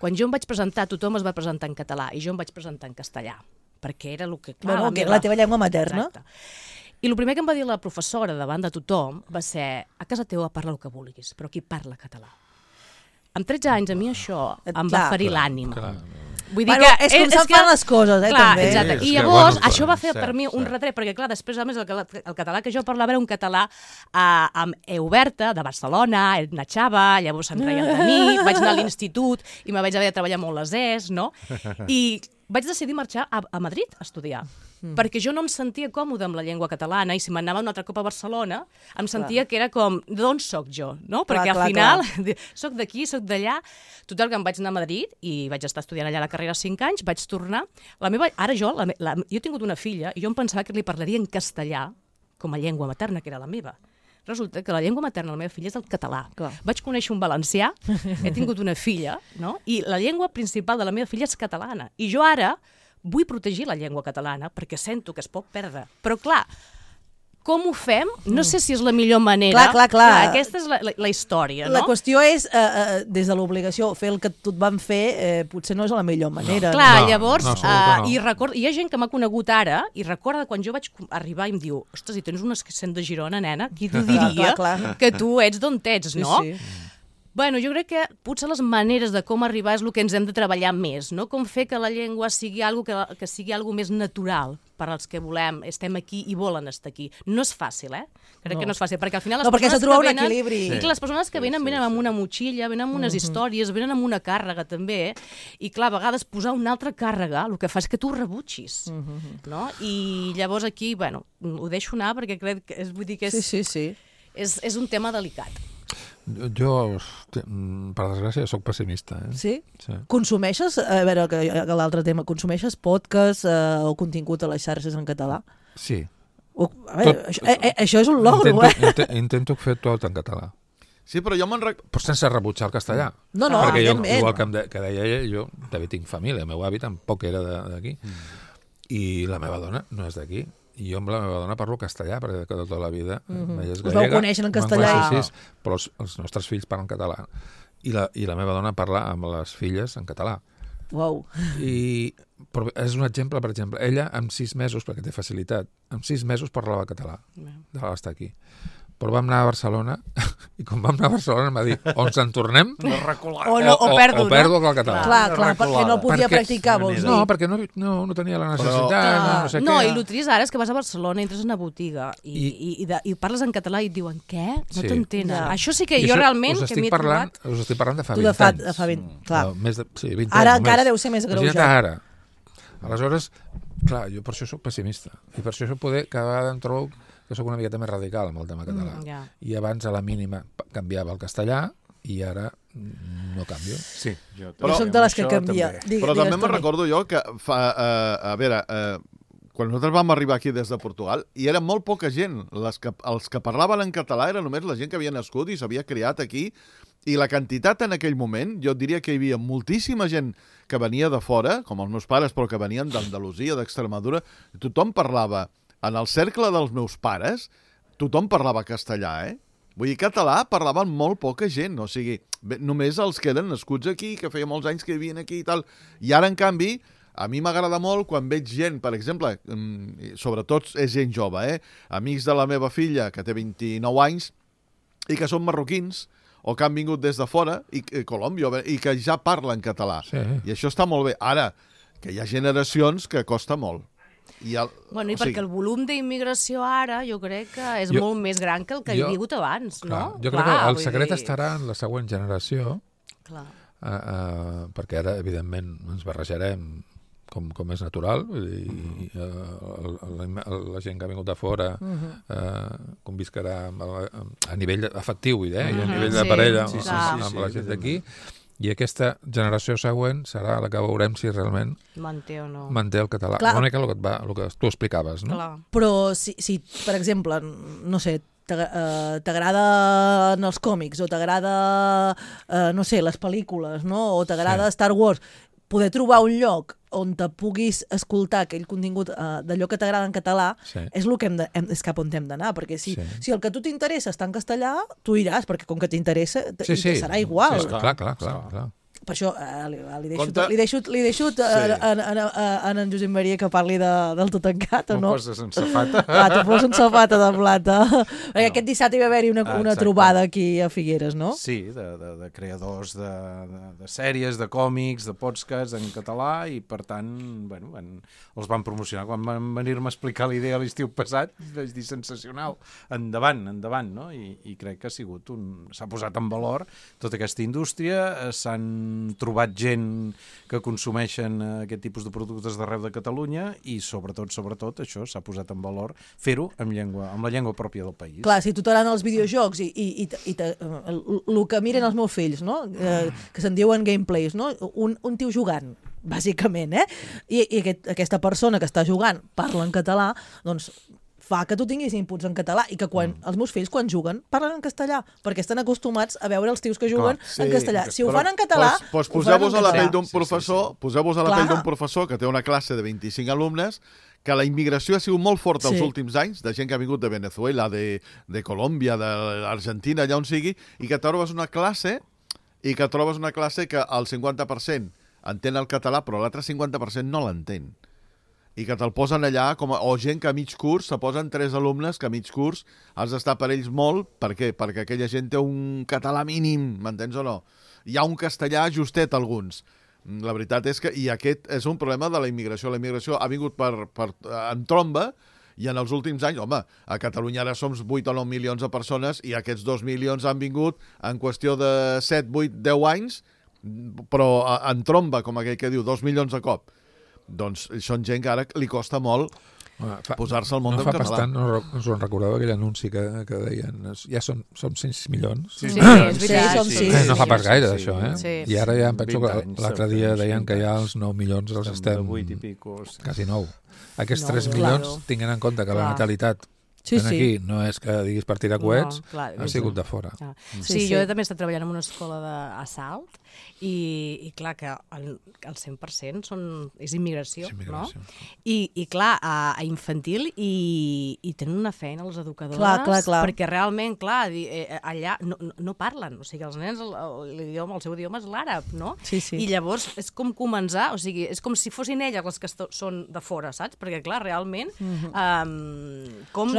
Speaker 4: quan jo em vaig presentar, tothom es va presentar en català i jo em vaig presentar en castellà, perquè era el que... Clar,
Speaker 1: la teva llengua materna.
Speaker 4: Exacte. I el primer que em va dir la professora davant de tothom va ser: a casa teva parla el que vulguis, però aquí parla català. Amb 13 anys a mi això em va ferir l'ànima. Vull dir que
Speaker 1: és com se'n fan les coses,
Speaker 4: clar,
Speaker 1: també.
Speaker 4: Exacte. I llavors això va fer per mi un retret, perquè clar, després a més el català que jo parlava era un català amb E oberta, de Barcelona, natxava, llavors se'n reien de mi, vaig anar a l'institut i me vaig haver de treballar molt les Es, no? I vaig decidir marxar a Madrid a estudiar, perquè jo no em sentia còmode amb la llengua catalana i si m'anava un altre cop a Barcelona em sentia que era com, d'on soc jo? No? Perquè al final soc d'aquí, soc d'allà. Total, que em vaig anar a Madrid i vaig estar estudiant allà la carrera 5 anys, vaig tornar. Jo he tingut una filla i jo em pensava que li parlaria en castellà com a llengua materna, que era la meva. Resulta que la llengua materna de la meva filla és el català. Clar. Vaig conèixer un valencià, he tingut una filla, no? I la llengua principal de la meva filla és catalana. I jo ara vull protegir la llengua catalana perquè sento que es pot perdre. Però clar, com ho fem? No sé si és la millor manera.
Speaker 1: Clar.
Speaker 4: Aquesta és la història, no?
Speaker 1: La qüestió és, des de l'obligació, fer el que tu et van fer potser no és la millor manera.
Speaker 4: Clar, llavors, i hi ha gent que m'ha conegut ara i recorda quan jo vaig arribar i em diu: ostres, si tens un accent de Girona, nena, qui t'ho diria que tu ets d'on ets, no? Sí. Bueno, jo crec que potser les maneres de com arribar és el que ens hem de treballar més, no? Com fer que la llengua sigui que sigui algo més natural per als que volem, estem aquí i volen estar aquí. No és fàcil, Crec que no és fàcil, perquè al final les persones que venen... equilibri. I les persones que venen amb una motxilla, venen amb unes històries, venen amb una càrrega també, i clar, a vegades posar una altra càrrega el que fa és que tu ho rebutgis, no? I llavors aquí, bueno, ho deixo anar perquè crec que vull dir que és un tema delicat.
Speaker 2: Jo, per desgràcia, sóc pessimista.
Speaker 1: Sí? Consumeixes, a veure, l'altre tema, consumeixes podcast o contingut a les xarxes en català?
Speaker 2: Sí.
Speaker 1: A veure, això és un logro,
Speaker 2: Intento fer tot en català.
Speaker 5: Sí, però jo
Speaker 2: però sense rebutjar el castellà.
Speaker 1: No,
Speaker 2: perquè jo, igual que deia ella, jo també tinc família, el meu avi tampoc era d'aquí, i la meva dona no és d'aquí. I jo amb la meva dona parlo castellà, perquè tota la vida
Speaker 1: us vau conèixer en castellà.
Speaker 2: Sí, però els nostres fills parlen català. I la meva dona parla amb les filles en català.
Speaker 1: Uau.
Speaker 2: Però és un exemple, per exemple. Ella, amb 6 mesos, perquè té facilitat, amb 6 mesos parlava català, de l'estar aquí. Però vam anar a Barcelona, i quan vam anar a Barcelona em va dir, o ens en tornem,
Speaker 4: o perdo
Speaker 2: el català.
Speaker 1: Clar, perquè no el podia practicar, vols dir.
Speaker 2: No, perquè no tenia la necessitat, no sé què.
Speaker 4: No, i el trist ara és que vas a Barcelona, entres en una botiga i parles en català i et diuen, què? No t'entenen. Això sí que jo realment...
Speaker 2: Us estic parlant de fa 20 anys.
Speaker 1: De fa 20, clar.
Speaker 2: Sí, 20 anys.
Speaker 1: Ara encara deu ser més greujat.
Speaker 2: Ara. Aleshores, clar, jo per això soc pessimista. I per això cada vegada em trobo que sóc una miqueta més radical amb el tema català. I abans a la mínima canviava el castellà i ara no canvio.
Speaker 3: Sí,
Speaker 1: jo soc de les que canvia.
Speaker 5: Però també me'n recordo jo que a veure, quan nosaltres vam arribar aquí des de Portugal, hi era molt poca gent. Els que parlaven en català era només la gent que havia nascut i s'havia criat aquí, i la quantitat en aquell moment, jo diria que hi havia moltíssima gent que venia de fora, com els meus pares, però que venien d'Andalusia, d'Extremadura, tothom parlava. En el cercle dels meus pares, tothom parlava castellà, Vull dir, català parlaven molt poca gent, o sigui, només els que eren nascuts aquí, que feia molts anys que vivien aquí i tal. I ara, en canvi, a mi m'agrada molt quan veig gent, per exemple, sobretot és gent jove, amics de la meva filla, que té 29 anys, i que són marroquins, o que han vingut des de fora, i Colòmbia, i que ja parlen català.
Speaker 2: Sí.
Speaker 5: I això està molt bé. Ara, que hi ha generacions que costa molt.
Speaker 4: Perquè el volum d'immigració ara jo crec que és molt més gran que el que hi havia hagut abans, no?
Speaker 2: Jo crec que el secret estarà en la següent generació, perquè ara, evidentment, ens barrejarem com és natural, la gent que ha vingut de fora conviscarà a nivell afectiu i a nivell de parella amb la gent d'aquí. I aquesta generació següent serà la que veurem si realment
Speaker 4: manté o no
Speaker 2: manté el català. Una mica el que tu explicaves, no?
Speaker 1: Clar. Però si, per exemple, no sé, t'agraden els còmics o t'agrada, no sé, les pel·lícules, no? O t'agrada Star Wars, poder trobar un lloc on te puguis escoltar aquell contingut d'allò que t'agrada en català és el que és cap on hem d'anar, perquè si el que a tu t'interessa està en castellà, tu iràs, perquè com que t'interessa, serà igual.
Speaker 2: Sí, clar.
Speaker 1: Per això li deixo a en Josep Maria que parli del Totancat, o no?
Speaker 3: M'ho poses en safata.
Speaker 1: T'ho poses en safata de plata. Perquè aquest dissabte hi va haver-hi una trobada aquí a Figueres, no?
Speaker 3: Sí, de creadors de sèries, de còmics, de podcasts en català, i per tant, els van promocionar. Quan van venir-me a explicar la idea l'estiu passat, vaig dir sensacional, endavant, no? I crec que s'ha posat en valor tota aquesta indústria, s'han trobat gent que consumeixen aquest tipus de productes d'arreu de Catalunya i sobretot això s'ha posat en valor fer-ho amb la llengua pròpia del país.
Speaker 1: Clar, si tu t'agraden els videojocs i el que miren els meus fills, no? Que se'n diuen gameplays, no? Un tio jugant, bàsicament, i aquesta persona que està jugant parla en català, doncs fa que tu tinguis inputs en català i que els meus fills, quan juguen, parlen en castellà, perquè estan acostumats a veure els tios que juguen en castellà. Si ho fan en català...
Speaker 5: Poseu-vos a la pell d'un professor que té una classe de 25 alumnes, que la immigració ha sigut molt forta els últims anys, de gent que ha vingut de Venezuela, de Colòmbia, d'Argentina, allà on sigui, i que trobes una classe que el 50% entén el català, però l'altre 50% no l'entén. I que te'l posen allà, o gent que a mig curs, se posen 3 alumnes que a mig curs has d'estar per ells molt. Per què? Perquè aquella gent té un català mínim, m'entens o no? Hi ha un castellà justet, alguns. La veritat és que, i aquest és un problema de la immigració. La immigració ha vingut en tromba, i en els últims anys, a Catalunya ara som 8 o 9 milions de persones, i aquests 2 milions han vingut en qüestió de 7, 8, 10 anys, però en tromba, com aquell que diu, 2 milions de cop. Doncs són gent que ara li costa molt posar-se al món del català.
Speaker 2: No fa bastant, no us en recordeu aquell anunci que deien ja som 6 milions?
Speaker 4: Sí, és veritat.
Speaker 2: No fa pas gaire d'això, I ara ja em penso que l'altre dia deien que ja els 9 milions els estem... Quasi 9. Aquests 3 milions, tinguent en compte que la natalitat aquí no és que diguis per tirar coets, ha sigut de fora.
Speaker 4: Sí, jo també he estat treballant en una escola d'assalt i clar que el 100% és immigració, no? I clar, a infantil i tenen una feina les educadores, perquè realment, clar, allà no parlen, o sigui, els nens, el seu idioma és l'àrab, no? I llavors és com començar, o sigui, és com si fossin elles les que són de fora, saps? Perquè clar, realment, com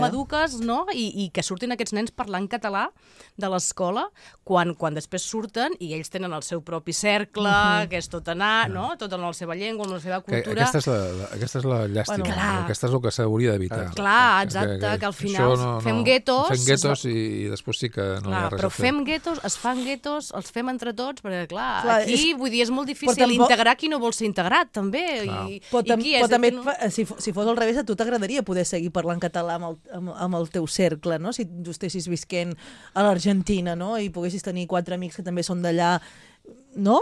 Speaker 4: eduques, no? I que surtin aquests nens parlant català de l'escola quan després surten i ells tenen el seu propi cercle, que és tot anar, no? Tot en la seva llengua, en la seva cultura.
Speaker 2: Aquesta és la llàstima, aquesta és el que s'hauria d'evitar.
Speaker 4: Clar, exacte, que al final fem guetos...
Speaker 2: Fem guetos i després sí que no hi ha res a fer.
Speaker 4: Però fem guetos, es fan guetos, els fem entre tots, perquè clar, aquí, vull dir, és molt difícil integrar qui no vol ser integrat, també.
Speaker 1: Però també, si fos al revés, a tu t'agradaria poder seguir parlant català amb el teu cercle, no? Si tu estessis visquent a l'Argentina, no? I poguessis tenir 4 amics que també són d'allà, no?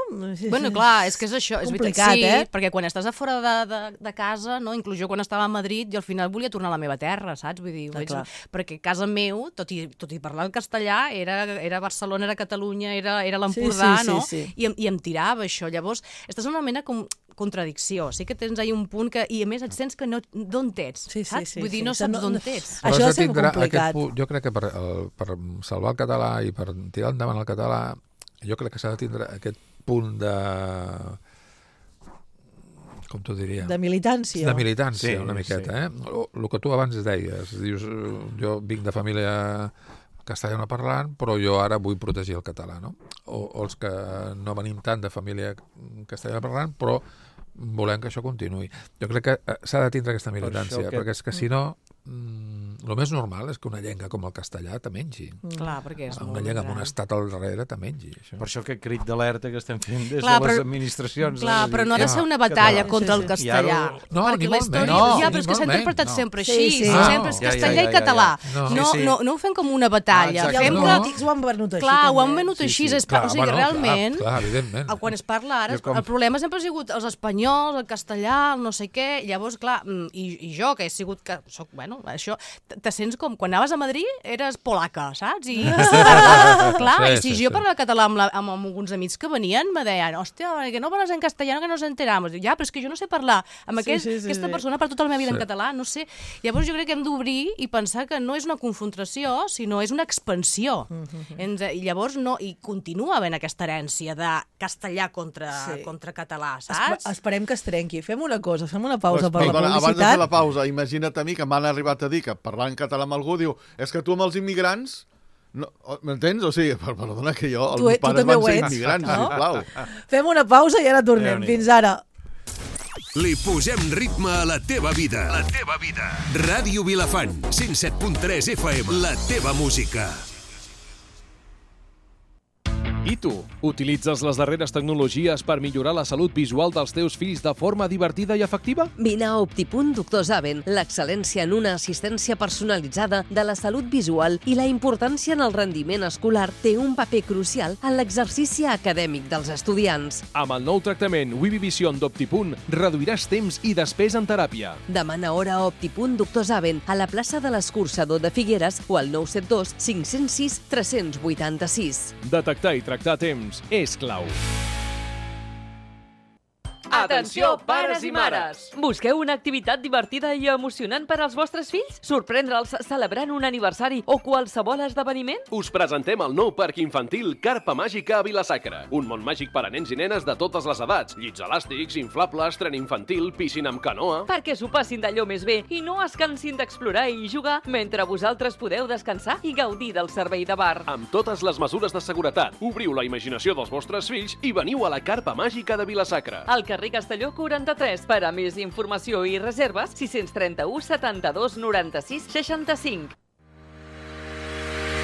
Speaker 4: Bueno, clar, és que és això, és
Speaker 1: complicat,
Speaker 4: veritat, perquè quan estàs a fora de casa, no? Inclús jo quan estava a Madrid, jo al final volia tornar a la meva terra, saps? Vull dir, perquè casa meu, tot i parlar el castellà, era Barcelona, era Catalunya, era l'Empordà, no? I em tirava això. Llavors, estàs en una mena com contradicció. Sí que tens ahí un punt que... I a més et sents que d'on ets, saps? Vull dir, no saps d'on ets.
Speaker 1: Això és complicat.
Speaker 2: Jo crec que per salvar el català i per tirar endavant el català, jo crec que s'ha de tindre aquest punt de... com t'ho diria?
Speaker 1: De militància.
Speaker 2: De militància, una miqueta, El que tu abans deies. Dius, jo vinc de família castellana parlant, però jo ara vull protegir el català, no? O els que no venim tant de família castellana parlant, però volem que això continuï. Jo crec que s'ha de tindre aquesta militància, perquè és que si no, el més normal és que una llengua com el castellà te mengi.
Speaker 4: Clar, perquè és
Speaker 2: una llengua amb un estat al darrere te mengi. Això.
Speaker 3: Per això aquest crit d'alerta que estem fent des de les administracions.
Speaker 4: Clar, però no ha de ser una batalla contra el castellà.
Speaker 2: No,
Speaker 4: perquè la història... Ja, però és que s'ha interpretat sempre així. Sempre és castellà i català. No ho fem com una batalla.
Speaker 1: I els polítics ho han venut així.
Speaker 4: Clar, ho han venut així. O sigui, realment, quan es parla ara, el problema sempre ha sigut els espanyols, el castellà, el no sé què. Llavors, clar, i jo, que he sigut... Soc, bueno, Això, te sents com, quan anaves a Madrid, eres polaca, saps? I, clar, i si jo parlava català amb alguns amics que venien, me deien, hòstia, que no parles en castellano, que nos enteramos. Ja, però és que jo no sé parlar amb aquesta persona per tota la meva vida en català, no sé. Llavors jo crec que hem d'obrir i pensar que no és una confrontació, sinó és una expansió. I llavors i continua havent aquesta herència de castellà contra català, saps?
Speaker 1: Esperem que es trenqui. Fem una cosa, fem una pausa per la publicitat.
Speaker 5: Abans de fer la pausa, imagina't a mi que m'han arribat a dir que parlant català amb algú diu és que tu amb els immigrants... M'entens? O sigui, perdona que jo, els meus pares van ser immigrants, sisplau.
Speaker 1: Fem una pausa i ara tornem. Fins ara.
Speaker 6: Li posem ritme a la teva vida. La teva vida. Ràdio Vilafant, 107.3 FM. La teva música.
Speaker 7: I tu, utilitzes les darreres tecnologies per millorar la salut visual dels teus fills de forma divertida i efectiva?
Speaker 8: Vine a Optipunt Doctor Zaven, l'excel·lència en una assistència personalitzada de la salut visual i la importància en el rendiment escolar té un paper crucial en l'exercici acadèmic dels estudiants.
Speaker 7: Amb el nou tractament Vivivision d'Optipunt reduiràs temps i despesa en teràpia.
Speaker 8: Demana hora a Optipunt Doctor Zaven a la plaça de l'Escorxador de Figueres o al 972 506 386.
Speaker 7: Detectar i tractar a temps és clau.
Speaker 9: Atenció, pares i mares! Busqueu una activitat divertida i emocionant per als vostres fills? Sorprendre'ls celebrant un aniversari o qualsevol esdeveniment?
Speaker 7: Us presentem el nou parc infantil Carpa Màgica a Vila-sacra. Un món màgic per a nens i nenes de totes les edats. Llits elàstics, inflables, tren infantil, piscina amb canoa...
Speaker 9: Perquè s'ho passin d'allò més bé i no es cansin d'explorar i jugar mentre vosaltres podeu descansar i gaudir del servei de bar.
Speaker 7: Amb totes les mesures de seguretat, obriu la imaginació dels vostres fills i veniu a la Carpa Màgica de Vila-sacra.
Speaker 9: Al carrer Castelló 43. Per a més informació i reserves, 631 72 96 65.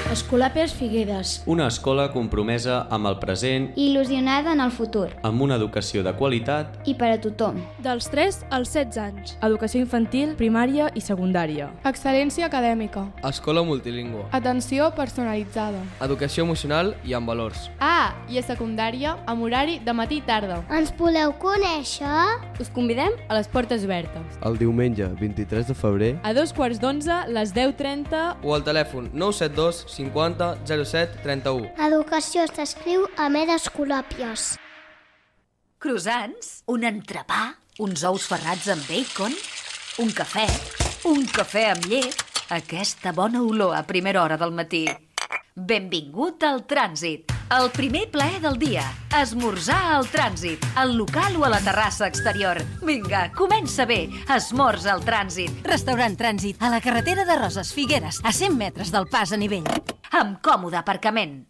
Speaker 10: Escolapes Figueres.
Speaker 11: Una escola compromesa amb el present,
Speaker 10: il·lusionada en el futur,
Speaker 11: amb una educació de qualitat
Speaker 10: i per a tothom.
Speaker 12: Dels 3 als 16 anys. Educació infantil, primària i secundària.
Speaker 13: Excel·lència acadèmica.
Speaker 14: Escola multilingüe.
Speaker 13: Atenció personalitzada.
Speaker 14: Educació emocional i amb valors.
Speaker 13: I a secundària, amb horari de matí i tarda.
Speaker 10: Ens voleu conèixer?
Speaker 12: Us convidem a les portes obertes.
Speaker 14: El diumenge 23 de febrer
Speaker 12: a 2:15, les 10:30
Speaker 14: o al telèfon 972 50 07 31.
Speaker 10: Educació s'escriu amb d'Escolàpies.
Speaker 15: Croissants, un entrepà, uns ous ferrats amb bacon, un cafè amb llet, aquesta bona olor a primera hora del matí. Benvingut al Trànsit, el primer plaer del dia. Esmorzar al Trànsit, al local o a la terrassa exterior. Vinga, comença bé. Esmorza al Trànsit. Restaurant Trànsit, a la carretera de Roses Figueres, a 100 metres del pas a nivell. Amb còmode aparcament.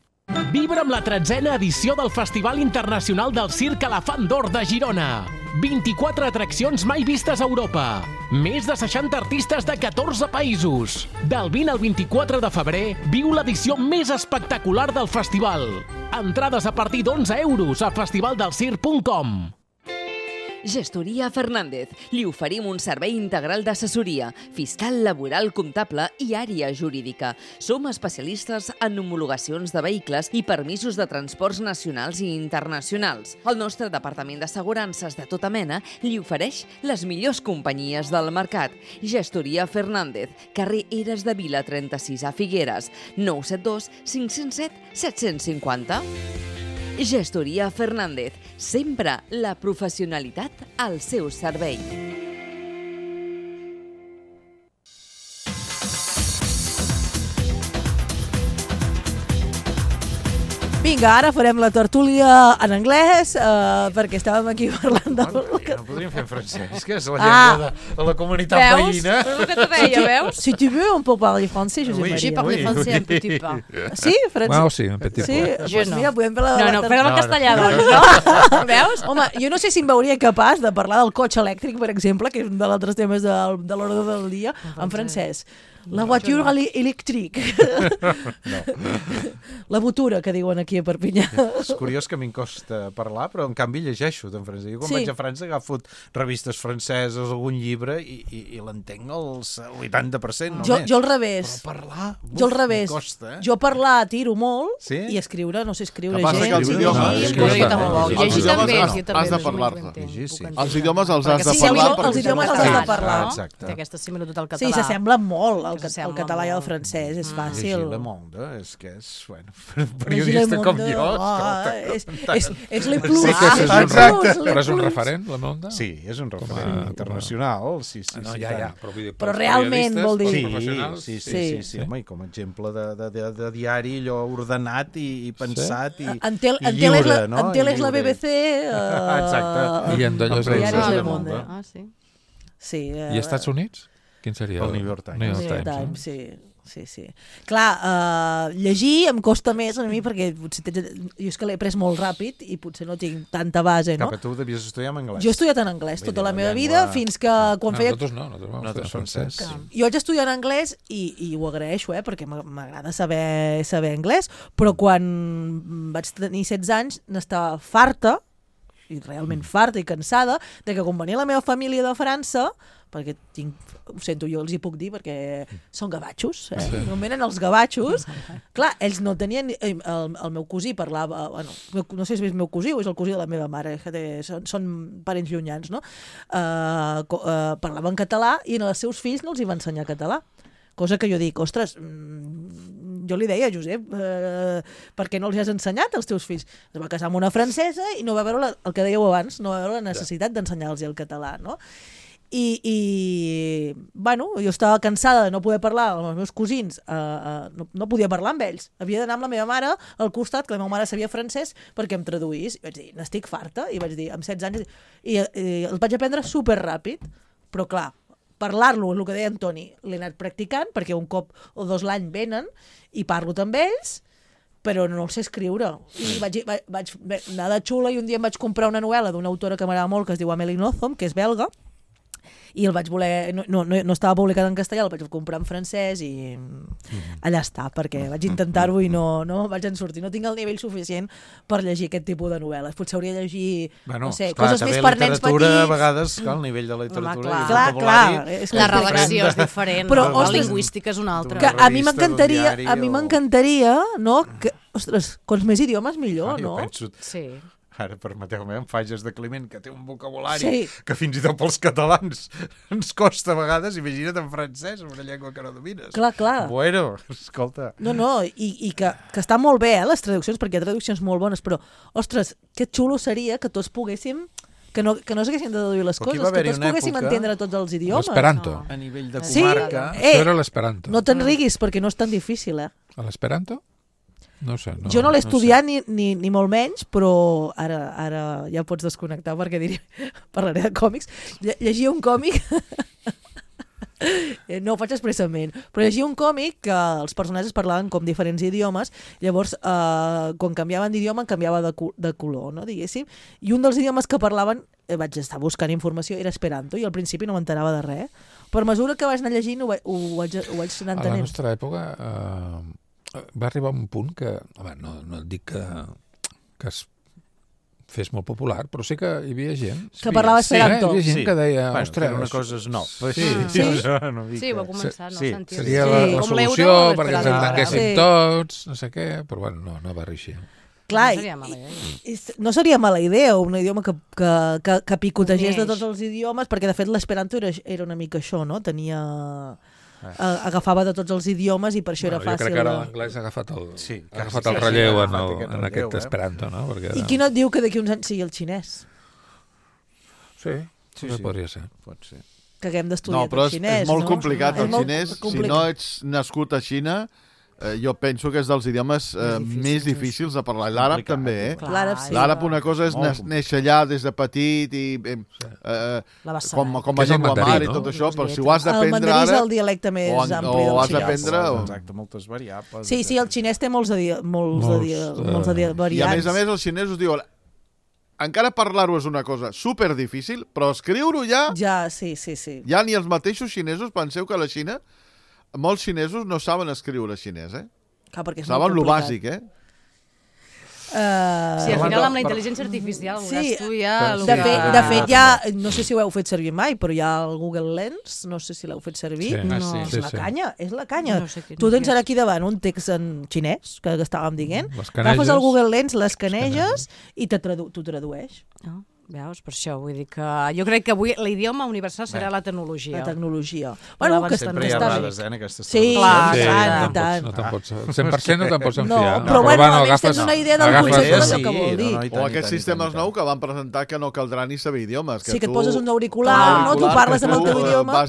Speaker 16: Vibra amb la 13a edició del Festival Internacional del Circ Elefant d'Or de Girona. 24 atraccions mai vistes a Europa. Més de 60 artistes de 14 països. Del 20 al 24 de febrer, viu l'edició més espectacular del festival. Entrades a partir d'11 euros a festivaldelscirc.com.
Speaker 8: Gestoria Fernández. Li oferim un servei integral d'assessoria, fiscal, laboral, comptable i àrea jurídica. Som especialistes en homologacions de vehicles i permisos de transports nacionals i internacionals. El nostre departament d'assegurances de tota mena li ofereix les millors companyies del mercat. Gestoria Fernández, carrer Eres de Vila 36 a Figueres, 972 507 750. Gestoria Fernández, sempre la professionalitat al seu servei.
Speaker 1: Vinga, ara farem la tertúlia en anglès, perquè estàvem aquí parlant de...
Speaker 3: No podríem fer en francès, que és la llengua de la comunitat veïna.
Speaker 4: Veus? És el que te deia, veus?
Speaker 1: Si tu veux, on peut parler français, Josep Maria.
Speaker 4: J'ai parlé français un petit peu.
Speaker 1: Sí, francès?
Speaker 2: Wow, sí, un petit peu.
Speaker 1: Sí, mira, podem fer la...
Speaker 4: No, fem el castellà, doncs, no? Veus?
Speaker 1: Home, jo no sé si em veuria capaç de parlar del cotxe elèctric, per exemple, que és un dels altres temes de l'ordre del dia, en francès. La voiture electrique. La botura, que diuen aquí a Perpinyà.
Speaker 3: És curiós que a mi em costa parlar, però en canvi llegeixo en francès. Jo quan vaig a França agafo revistes franceses, algun llibre, i l'entenc el 80% només.
Speaker 1: Jo al revés.
Speaker 3: Però parlar,
Speaker 1: jo al revés.
Speaker 3: Costa,
Speaker 1: Jo parlar tiro molt i escriure, no sé escriure gens.
Speaker 5: Que els idiomes...
Speaker 4: Llegir també.
Speaker 5: Has de parlar-te. Els idiomes els has de parlar.
Speaker 1: Els idiomes els has de parlar.
Speaker 4: Té aquesta similitud al català.
Speaker 1: Sí, s'assemblen molt, el català i el francès, és fàcil.
Speaker 3: Llegir Le Monde, és que és, bueno, periodista com jo,
Speaker 1: és le plus.
Speaker 2: Però és un referent, Le Monde?
Speaker 3: Sí, és un referent internacional, sí.
Speaker 1: Però realment, vol dir...
Speaker 3: Sí, home, i com a exemple de diari, allò ordenat i pensat i
Speaker 1: lliure, no? En tele és la BBC...
Speaker 3: Exacte.
Speaker 2: I en d'allò
Speaker 1: és Le Monde. Sí.
Speaker 2: I Estats Units? Quin seria?
Speaker 3: El New York Times.
Speaker 1: Sí. Clar, llegir em costa més a mi perquè potser jo és que l'he pres molt ràpid i potser no tinc tanta base, no?
Speaker 3: Cap, tu devies estudiar en anglès.
Speaker 1: Jo he estudiat en anglès tota la meva vida fins que quan feia...
Speaker 2: Nosaltres vam estudiar francès.
Speaker 1: Jo vaig estudiar en anglès i ho agraeixo, perquè m'agrada saber anglès, però quan vaig tenir 16 anys n'estava farta, i realment farta i cansada, de que quan venia la meva família de França, perquè ho sento, jo els hi puc dir perquè són gavatxos, no venen els gavatxos, clar, ells no tenien, el meu cosí parlava, bueno, no sé si és el meu cosí o és el cosí de la meva mare, són parents llunyans, no? Parlaven català i als seus fills no els hi va ensenyar català, cosa que jo dic, ostres, jo li deia, Josep, per què no els has ensenyat als teus fills? Es va casar amb una francesa i no va veure el que dèieu abans, no va veure la necessitat d'ensenyar-los el català, no? I bueno, jo estava cansada de no poder parlar amb els meus cosins, no podia parlar amb ells, havia d'anar amb la meva mare al costat, que la meva mare sabia francès, perquè em traduís, i vaig dir, n'estic farta, i vaig dir, amb 16 anys, i els vaig aprendre superràpid, però clar, parlar-lo, el que deia Antoni, l'he anat practicant, perquè un cop o dos l'any venen, i parlo amb ells, però no el sé escriure. I vaig anar de xula, i un dia em vaig comprar una novel·la d'una autora que m'agrada molt, que es diu Amélie Nothomb, que és belga, i el vaig voler, no estava publicat en castellà, el vaig comprar en francès i allà està, perquè vaig intentar-ho i no vaig en sortir, no tinc el nivell suficient per llegir aquest tipus de novel·les, potser hauria de llegir no sé, coses més per nens petits.
Speaker 3: A vegades, el nivell de la literatura
Speaker 1: clar,
Speaker 4: la redacció és diferent, però la lingüística és una altra.
Speaker 1: A mi m'encantaria, no? Ostres, quants més idiomes millor, no?
Speaker 3: Sí. Ara, permeteu-me, en Fages de Climent, que té un vocabulari que fins i tot pels catalans ens costa a vegades, imagina't en francès, una llengua que no domines.
Speaker 1: Clar.
Speaker 3: Bueno, escolta.
Speaker 1: No, i que està molt bé, les traduccions, perquè hi ha traduccions molt bones, però, ostres, que xulo seria que tots poguéssim que no s'haguessin de deduir les coses, que tots poguéssim entendre tots els idiomes.
Speaker 2: L'esperanto.
Speaker 3: A nivell de comarca.
Speaker 2: Això era l'esperanto.
Speaker 1: No te'n riguis, perquè no és tan difícil,
Speaker 2: A l'esperanto? No sé.
Speaker 1: Jo no l'he estudiat ni molt menys, però ara ja pots desconnectar perquè parlaré de còmics. Llegia un còmic... No ho faig expressament, però llegia un còmic que els personatges parlaven com diferents idiomes, llavors quan canviaven d'idioma canviava de color, no, diguéssim, i un dels idiomes que parlaven, vaig estar buscant informació, era esperanto, i al principi no m'enterava de res. Per mesura que vaig anar llegint ho vaig anar entenent.
Speaker 2: A la nostra època va arribar un punt que, no et dic que es fes molt popular, però sí que hi havia gent
Speaker 1: que parlava esperanto.
Speaker 2: Hi havia gent que deia,
Speaker 3: ostres, una cosa és no.
Speaker 4: Sí, va començar, no sentir.
Speaker 2: Seria la solució perquè ens entenguéssim tots, no sé què, però bueno, no va reeixir.
Speaker 1: Clar, no seria mala idea un idioma que picotegés de tots els idiomes, perquè de fet l'esperanto era una mica això, no? Agafava de tots els idiomes i per això era fàcil.
Speaker 2: Jo crec que ara l'anglès ha agafat el relleu en aquest esperanto, no?
Speaker 1: I qui no et diu que d'aquí uns anys sigui el xinès?
Speaker 2: Sí, podria ser.
Speaker 3: Pot ser.
Speaker 1: Que haguem d'estudiar el xinès.
Speaker 5: No, però és molt complicat el xinès. Si no ets nascut a Xina, jo penso que és dels idiomes més difícils de parlar. L'àrab també,
Speaker 1: L'àrab sí.
Speaker 5: L'àrab una cosa és néixer allà des de petit i com a llengua mare i tot això, però si ho has d'aprendre ara...
Speaker 1: El mandarí és el dialecte més ampli del xinès.
Speaker 5: O has d'aprendre...
Speaker 3: Exacte, moltes variables.
Speaker 1: Sí, el xinès té molts de variants.
Speaker 5: I a més els xinesos diuen encara parlar-ho és una cosa superdifícil, però escriure-ho ja...
Speaker 1: Ja, sí.
Speaker 5: Ja ni els mateixos xinesos penseu que a la Xina molts xinesos no saben escriure xinès,
Speaker 1: Clar, perquè és
Speaker 5: saben
Speaker 1: molt
Speaker 5: lo
Speaker 1: complicat.
Speaker 5: bàsic,
Speaker 4: Sí, al final amb la intel·ligència artificial tu ja...
Speaker 1: De fet, ja, no sé si ho heu fet servir mai, però hi ha el Google Lens, no sé si l'heu fet servir. És la canya, és la canya. Tu tens ara aquí davant un text en xinès, que estàvem dient, agafes el Google Lens, l'escaneges i t'ho tradueix.
Speaker 4: Veus, per això, vull dir que jo crec que avui l'idioma universal serà la tecnologia.
Speaker 1: La tecnologia.
Speaker 3: Bueno, que sempre hi ha errades, en aquestes
Speaker 1: sí, clar, tant.
Speaker 2: No te'n pots, 100% no te'n pots enfiar.
Speaker 1: Però bueno, almenys tens una idea del concepte del que vol dir.
Speaker 5: O aquests sistemes nous que van presentar que no caldrà ni saber idiomes.
Speaker 1: Sí, que et poses un auricular, tu parles amb el teu idioma.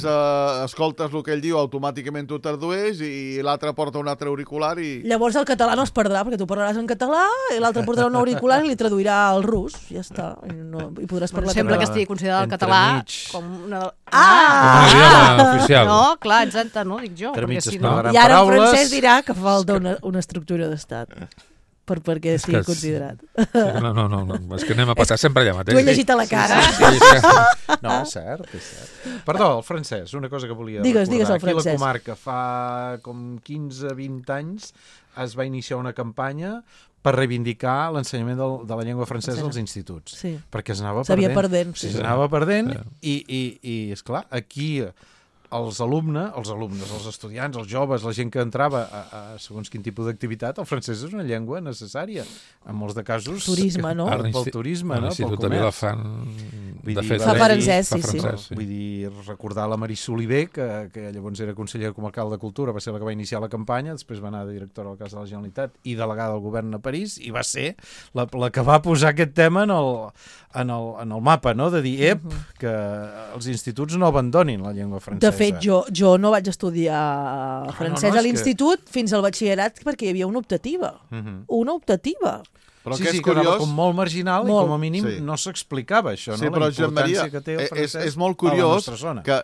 Speaker 5: Escoltes el que ell diu, automàticament t'ho tradueix i l'altre porta un altre auricular i...
Speaker 1: Llavors el català no es perdrà, perquè tu parlaràs en català i l'altre portarà un auricular i li traduirà al rus. Ja està. I podràs parlar.
Speaker 4: Sembla que estigui considerat el català com una...
Speaker 2: oficial.
Speaker 4: No, clar, exacte, no, dic jo.
Speaker 1: I ara en francès dirà que falta una estructura d'estat perquè sigui considerat.
Speaker 2: No, és que anem a passar sempre allà mateix.
Speaker 1: Tu he llegit a la cara.
Speaker 3: No, és cert. Perdó, el francès, una cosa que volia
Speaker 1: recordar. Digues el
Speaker 3: Aquí
Speaker 1: francès.
Speaker 3: a la comarca fa com 15-20 anys es va iniciar una campanya per reivindicar l'ensenyament de la llengua francesa als instituts.
Speaker 1: Sí.
Speaker 3: Perquè s'anava
Speaker 1: perdent.
Speaker 3: S'anava perdent i esclar, aquí els alumnes, els estudiants, els joves, la gent que entrava a segons quin tipus d'activitat, el francès és una llengua necessària. En molts de casos...
Speaker 1: Turisme, no?
Speaker 3: Pel turisme, no?
Speaker 2: L'Institut de Vilafant, de fet,
Speaker 1: fa francès, sí.
Speaker 3: Vull dir, recordar la Marisol Oliver, que llavors era consellera comarcal de Cultura, va ser la que va iniciar la campanya, després va anar de directora al cas de la Generalitat i delegada del govern a París, i va ser la que va posar aquest tema en el mapa, no? De dir, que els instituts no abandonin la llengua francesa.
Speaker 1: De fet, jo no vaig estudiar francès a l'institut fins al batxillerat perquè hi havia una optativa. Una optativa.
Speaker 5: Però
Speaker 3: sí,
Speaker 5: que
Speaker 3: és
Speaker 5: curiós...
Speaker 3: quedava com molt marginal i com a mínim no s'explicava això,
Speaker 5: sí,
Speaker 3: no?
Speaker 5: Però,
Speaker 3: la importància que té el francès
Speaker 5: és molt curiós que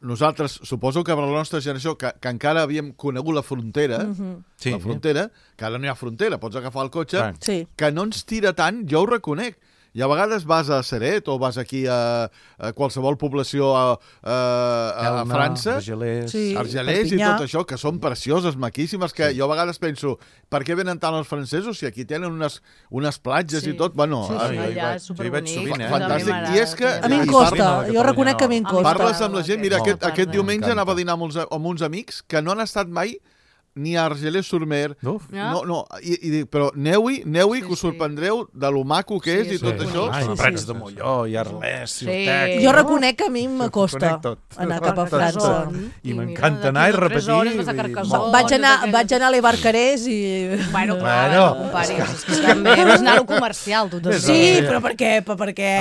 Speaker 5: nosaltres, suposo que per la nostra generació, que encara havíem conegut la frontera, que ara no hi ha frontera, pots agafar el cotxe, que no ens tira tant, jo ho reconec. I a vegades vas a Ceret o vas aquí a qualsevol població a França, Argelers i tot això, que són precioses, maquíssimes, que jo a vegades penso, per què venen tant els francesos si aquí tenen unes platges i tot? Bueno,
Speaker 4: allà és superbonic.
Speaker 5: Fantàstic. I és que...
Speaker 1: A mi em costa, jo reconec que a mi em costa.
Speaker 5: Parles amb la gent, mira, aquest diumenge anava a dinar amb uns amics que no han estat mai ni a Argelers-sur-Mer, però aneu-hi, que us sorprendreu de lo maco que és i tot això.
Speaker 3: Prats de Molló, i Arles, Ciutat...
Speaker 1: Jo reconec que a mi m'acosta anar cap a França.
Speaker 3: I m'encanta anar i repetir.
Speaker 1: Vaig anar a l'Ebarcarès i...
Speaker 4: Bueno, és que també vas anar a lo comercial, tu.
Speaker 1: Sí, però per què?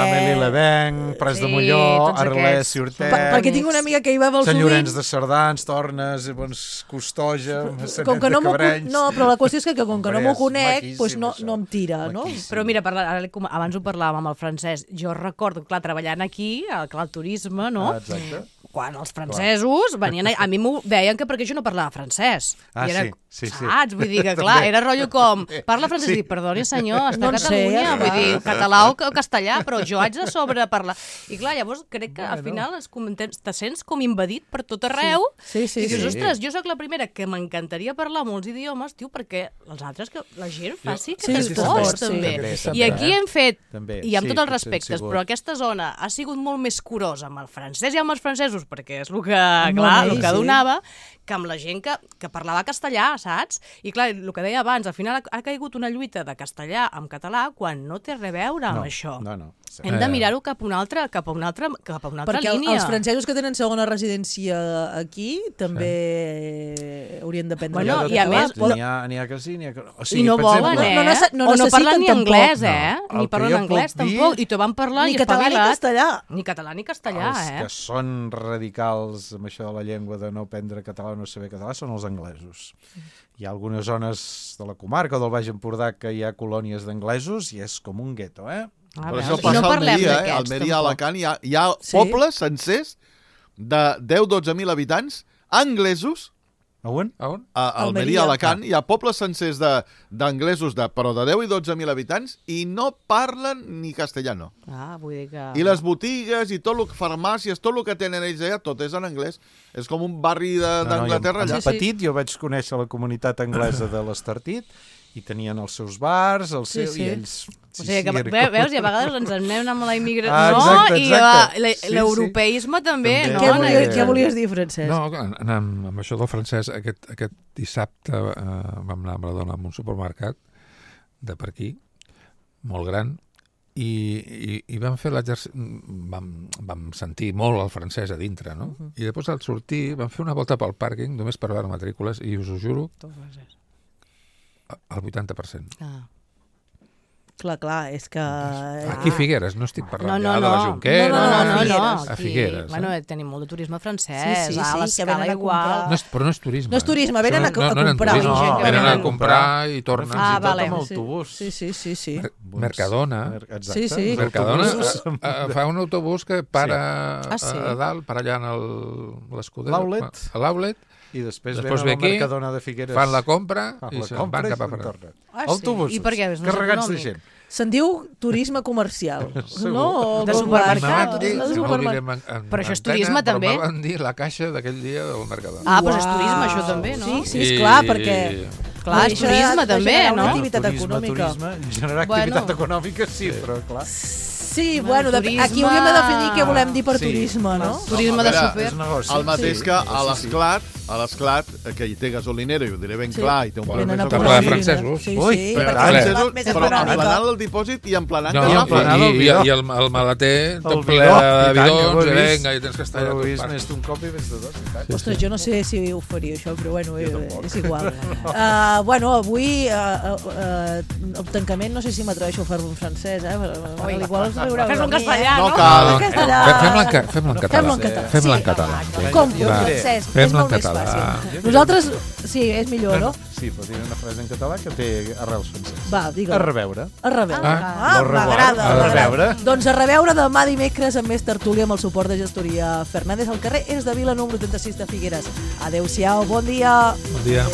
Speaker 3: Amélie Levenc, Prats de Molló, Arles, Ciutat...
Speaker 1: Perquè tinc una amiga que hi va molt
Speaker 3: sovint... Sant Llorenç
Speaker 1: sovint...
Speaker 3: de Cerdans, Tornes, Costoja...
Speaker 1: Com que no però la qüestió és que com que no m'ho conec, doncs no em tira, no?
Speaker 4: Però mira, abans ho parlàvem amb el francès, jo recordo, clar, treballant aquí, al turisme, no?
Speaker 3: Exacte.
Speaker 4: Quan els francesos venien a mi m'ho deien que perquè jo no parlava francès.
Speaker 3: Sí.
Speaker 4: Saps? Vull dir que, clar, era rotllo com, parla francès, i dic, perdoni senyor, està a Catalunya, vull dir, català o castellà, però jo haig de sobreparlar. I clar, llavors crec que al final te sents com invadit per tot arreu, i dius, ostres, jo sóc la primera que m'encantaria parlar molts idiomes, tio, perquè els altres, que la gent faci aquest esforç, també. I aquí hem fet, i amb tots els respectes, però aquesta zona ha sigut molt més curosa amb el francès i amb els francesos, perquè és el que, clar, el que donava, que amb la gent que parlava castellà, saps? I clar, el que deia abans, al final ha caigut una lluita de castellà amb català quan no té res a veure amb això. Hem de mirar-ho cap a una altra línia.
Speaker 1: Perquè els francesos que tenen segona residència aquí també haurien de prendre...
Speaker 4: Bueno, i a més...
Speaker 3: N'hi ha que sí, n'hi ha que no.
Speaker 4: I no volen, o no parlen ni anglès, ni parlen anglès, tampoc. I t'ho van parlar i
Speaker 1: català ni castellà.
Speaker 4: Ni català ni castellà,
Speaker 3: Els que són radicals amb això de la llengua, de no aprendre català o no saber català, són els anglesos. Hi ha algunes zones de la comarca o del Baix Empordà que hi ha colònies d'anglesos i és com un gueto,
Speaker 5: Però això passa a Almeria, Almeria, Alacant, hi ha pobles sencers de 10-12.000 habitants anglesos
Speaker 3: A on?
Speaker 5: A Almeria, Alacant. Hi ha pobles sencers d'anglesos, però de 10 i 12.000 habitants, i no parlen ni castellano.
Speaker 4: Vull dir que...
Speaker 5: I les botigues i tot farmàcies, tot el que tenen ells allà, tot és en anglès. És com un barri d'Anglaterra allà.
Speaker 3: Petit, jo vaig conèixer la comunitat anglesa de l'Estartit, i tenien els seus bars, i ells...
Speaker 4: O sigui, que veus, i a vegades ens anem amb la immigració i l'europeisme també, no?
Speaker 1: Què volies dir, Francesc?
Speaker 2: No, amb això del francès, aquest dissabte vam anar amb la dona a un supermercat de per aquí, molt gran, i vam fer l'exercici, vam sentir molt el francès a dintre, no? I després al sortir vam fer una volta pel pàrquing, només per veure matrícules, i us ho juro, el 80%.
Speaker 1: Clar, és que...
Speaker 2: Aquí a Figueres, no estic parlant ja de la Jonquera, a Figueres.
Speaker 4: Bueno, tenim molt de turisme francès, a
Speaker 1: l'escala igual.
Speaker 2: Però no és turisme.
Speaker 1: No és turisme, venen a comprar.
Speaker 2: Venen a comprar i tornen.
Speaker 3: Tot amb autobús.
Speaker 1: Sí.
Speaker 2: Mercadona. Mercadona fa un autobús que para a dalt, per allà en l'Escuder. L'Outlet.
Speaker 3: I després venen al Mercadona de Figueres.
Speaker 2: Fan la compra i se'n van cap a fora.
Speaker 3: Autobusos, carregats de gent.
Speaker 1: Se'n diu turisme comercial, no?
Speaker 4: De supermercat.
Speaker 2: Però
Speaker 4: això és turisme també?
Speaker 2: Però m'han dit la caixa d'aquell dia del Mercadona.
Speaker 4: Però és turisme això també, no?
Speaker 1: Sí, esclar, perquè...
Speaker 4: Clar, és turisme també, no?
Speaker 1: Activitat econòmica.
Speaker 3: Generar activitat econòmica, sí, però clar...
Speaker 1: Sí, bueno, aquí hauríem de definir què volem dir per turisme, no?
Speaker 4: Turisme de super.
Speaker 5: El mateix que a l'Esclat, que hi té gasolinera, i ho diré ben clar, i té un
Speaker 2: problema de francesos.
Speaker 5: Però emplenant el dipòsit i emplenant
Speaker 2: i el maleter tot ple de bidons, i vinga, i tens que estar allà tot
Speaker 3: pas. Més d'un cop i més de dos.
Speaker 1: Ostres, jo no sé si ho faria això, però bueno, és igual. Bueno, avui el tancament no sé si m'atreveixo a fer-lo en francès, igual els veureu.
Speaker 4: Fes-lo en castellà, no?
Speaker 5: No cal.
Speaker 2: Fem-la en català.
Speaker 1: Com, Francesc, és molt més fàcil. Nosaltres, sí, és millor, no?
Speaker 3: Sí, però diré una frase en català que té arrels franceses.
Speaker 1: Va, digue-la.
Speaker 3: A reveure.
Speaker 1: A reveure. M'agrada.
Speaker 3: A reveure.
Speaker 1: Doncs a reveure demà dimecres amb més tertúlia amb el suport de Gestoria Fernández. El carrer és de Vila número 36 de Figueres. Adéu-siau, bon dia.
Speaker 2: Bon dia.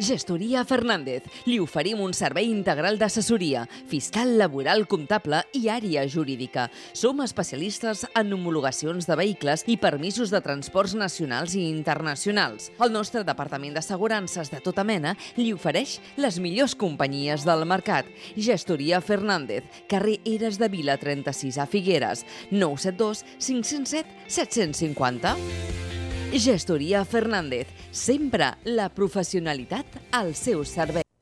Speaker 8: Gestoria Fernández. Li oferim un servei integral d'assessoria, fiscal, laboral, comptable i àrea jurídica. Som especialistes en homologacions de vehicles i permisos de transports nacionals i internacionals. El nostre departament d'assegurances de tota mena li ofereix les millors companyies del mercat. Gestoria Fernández, carrer Eres de Vila 36 a Figueres, 972 507 750. Gestoria Fernández, sempre la professionalitat al seu servei.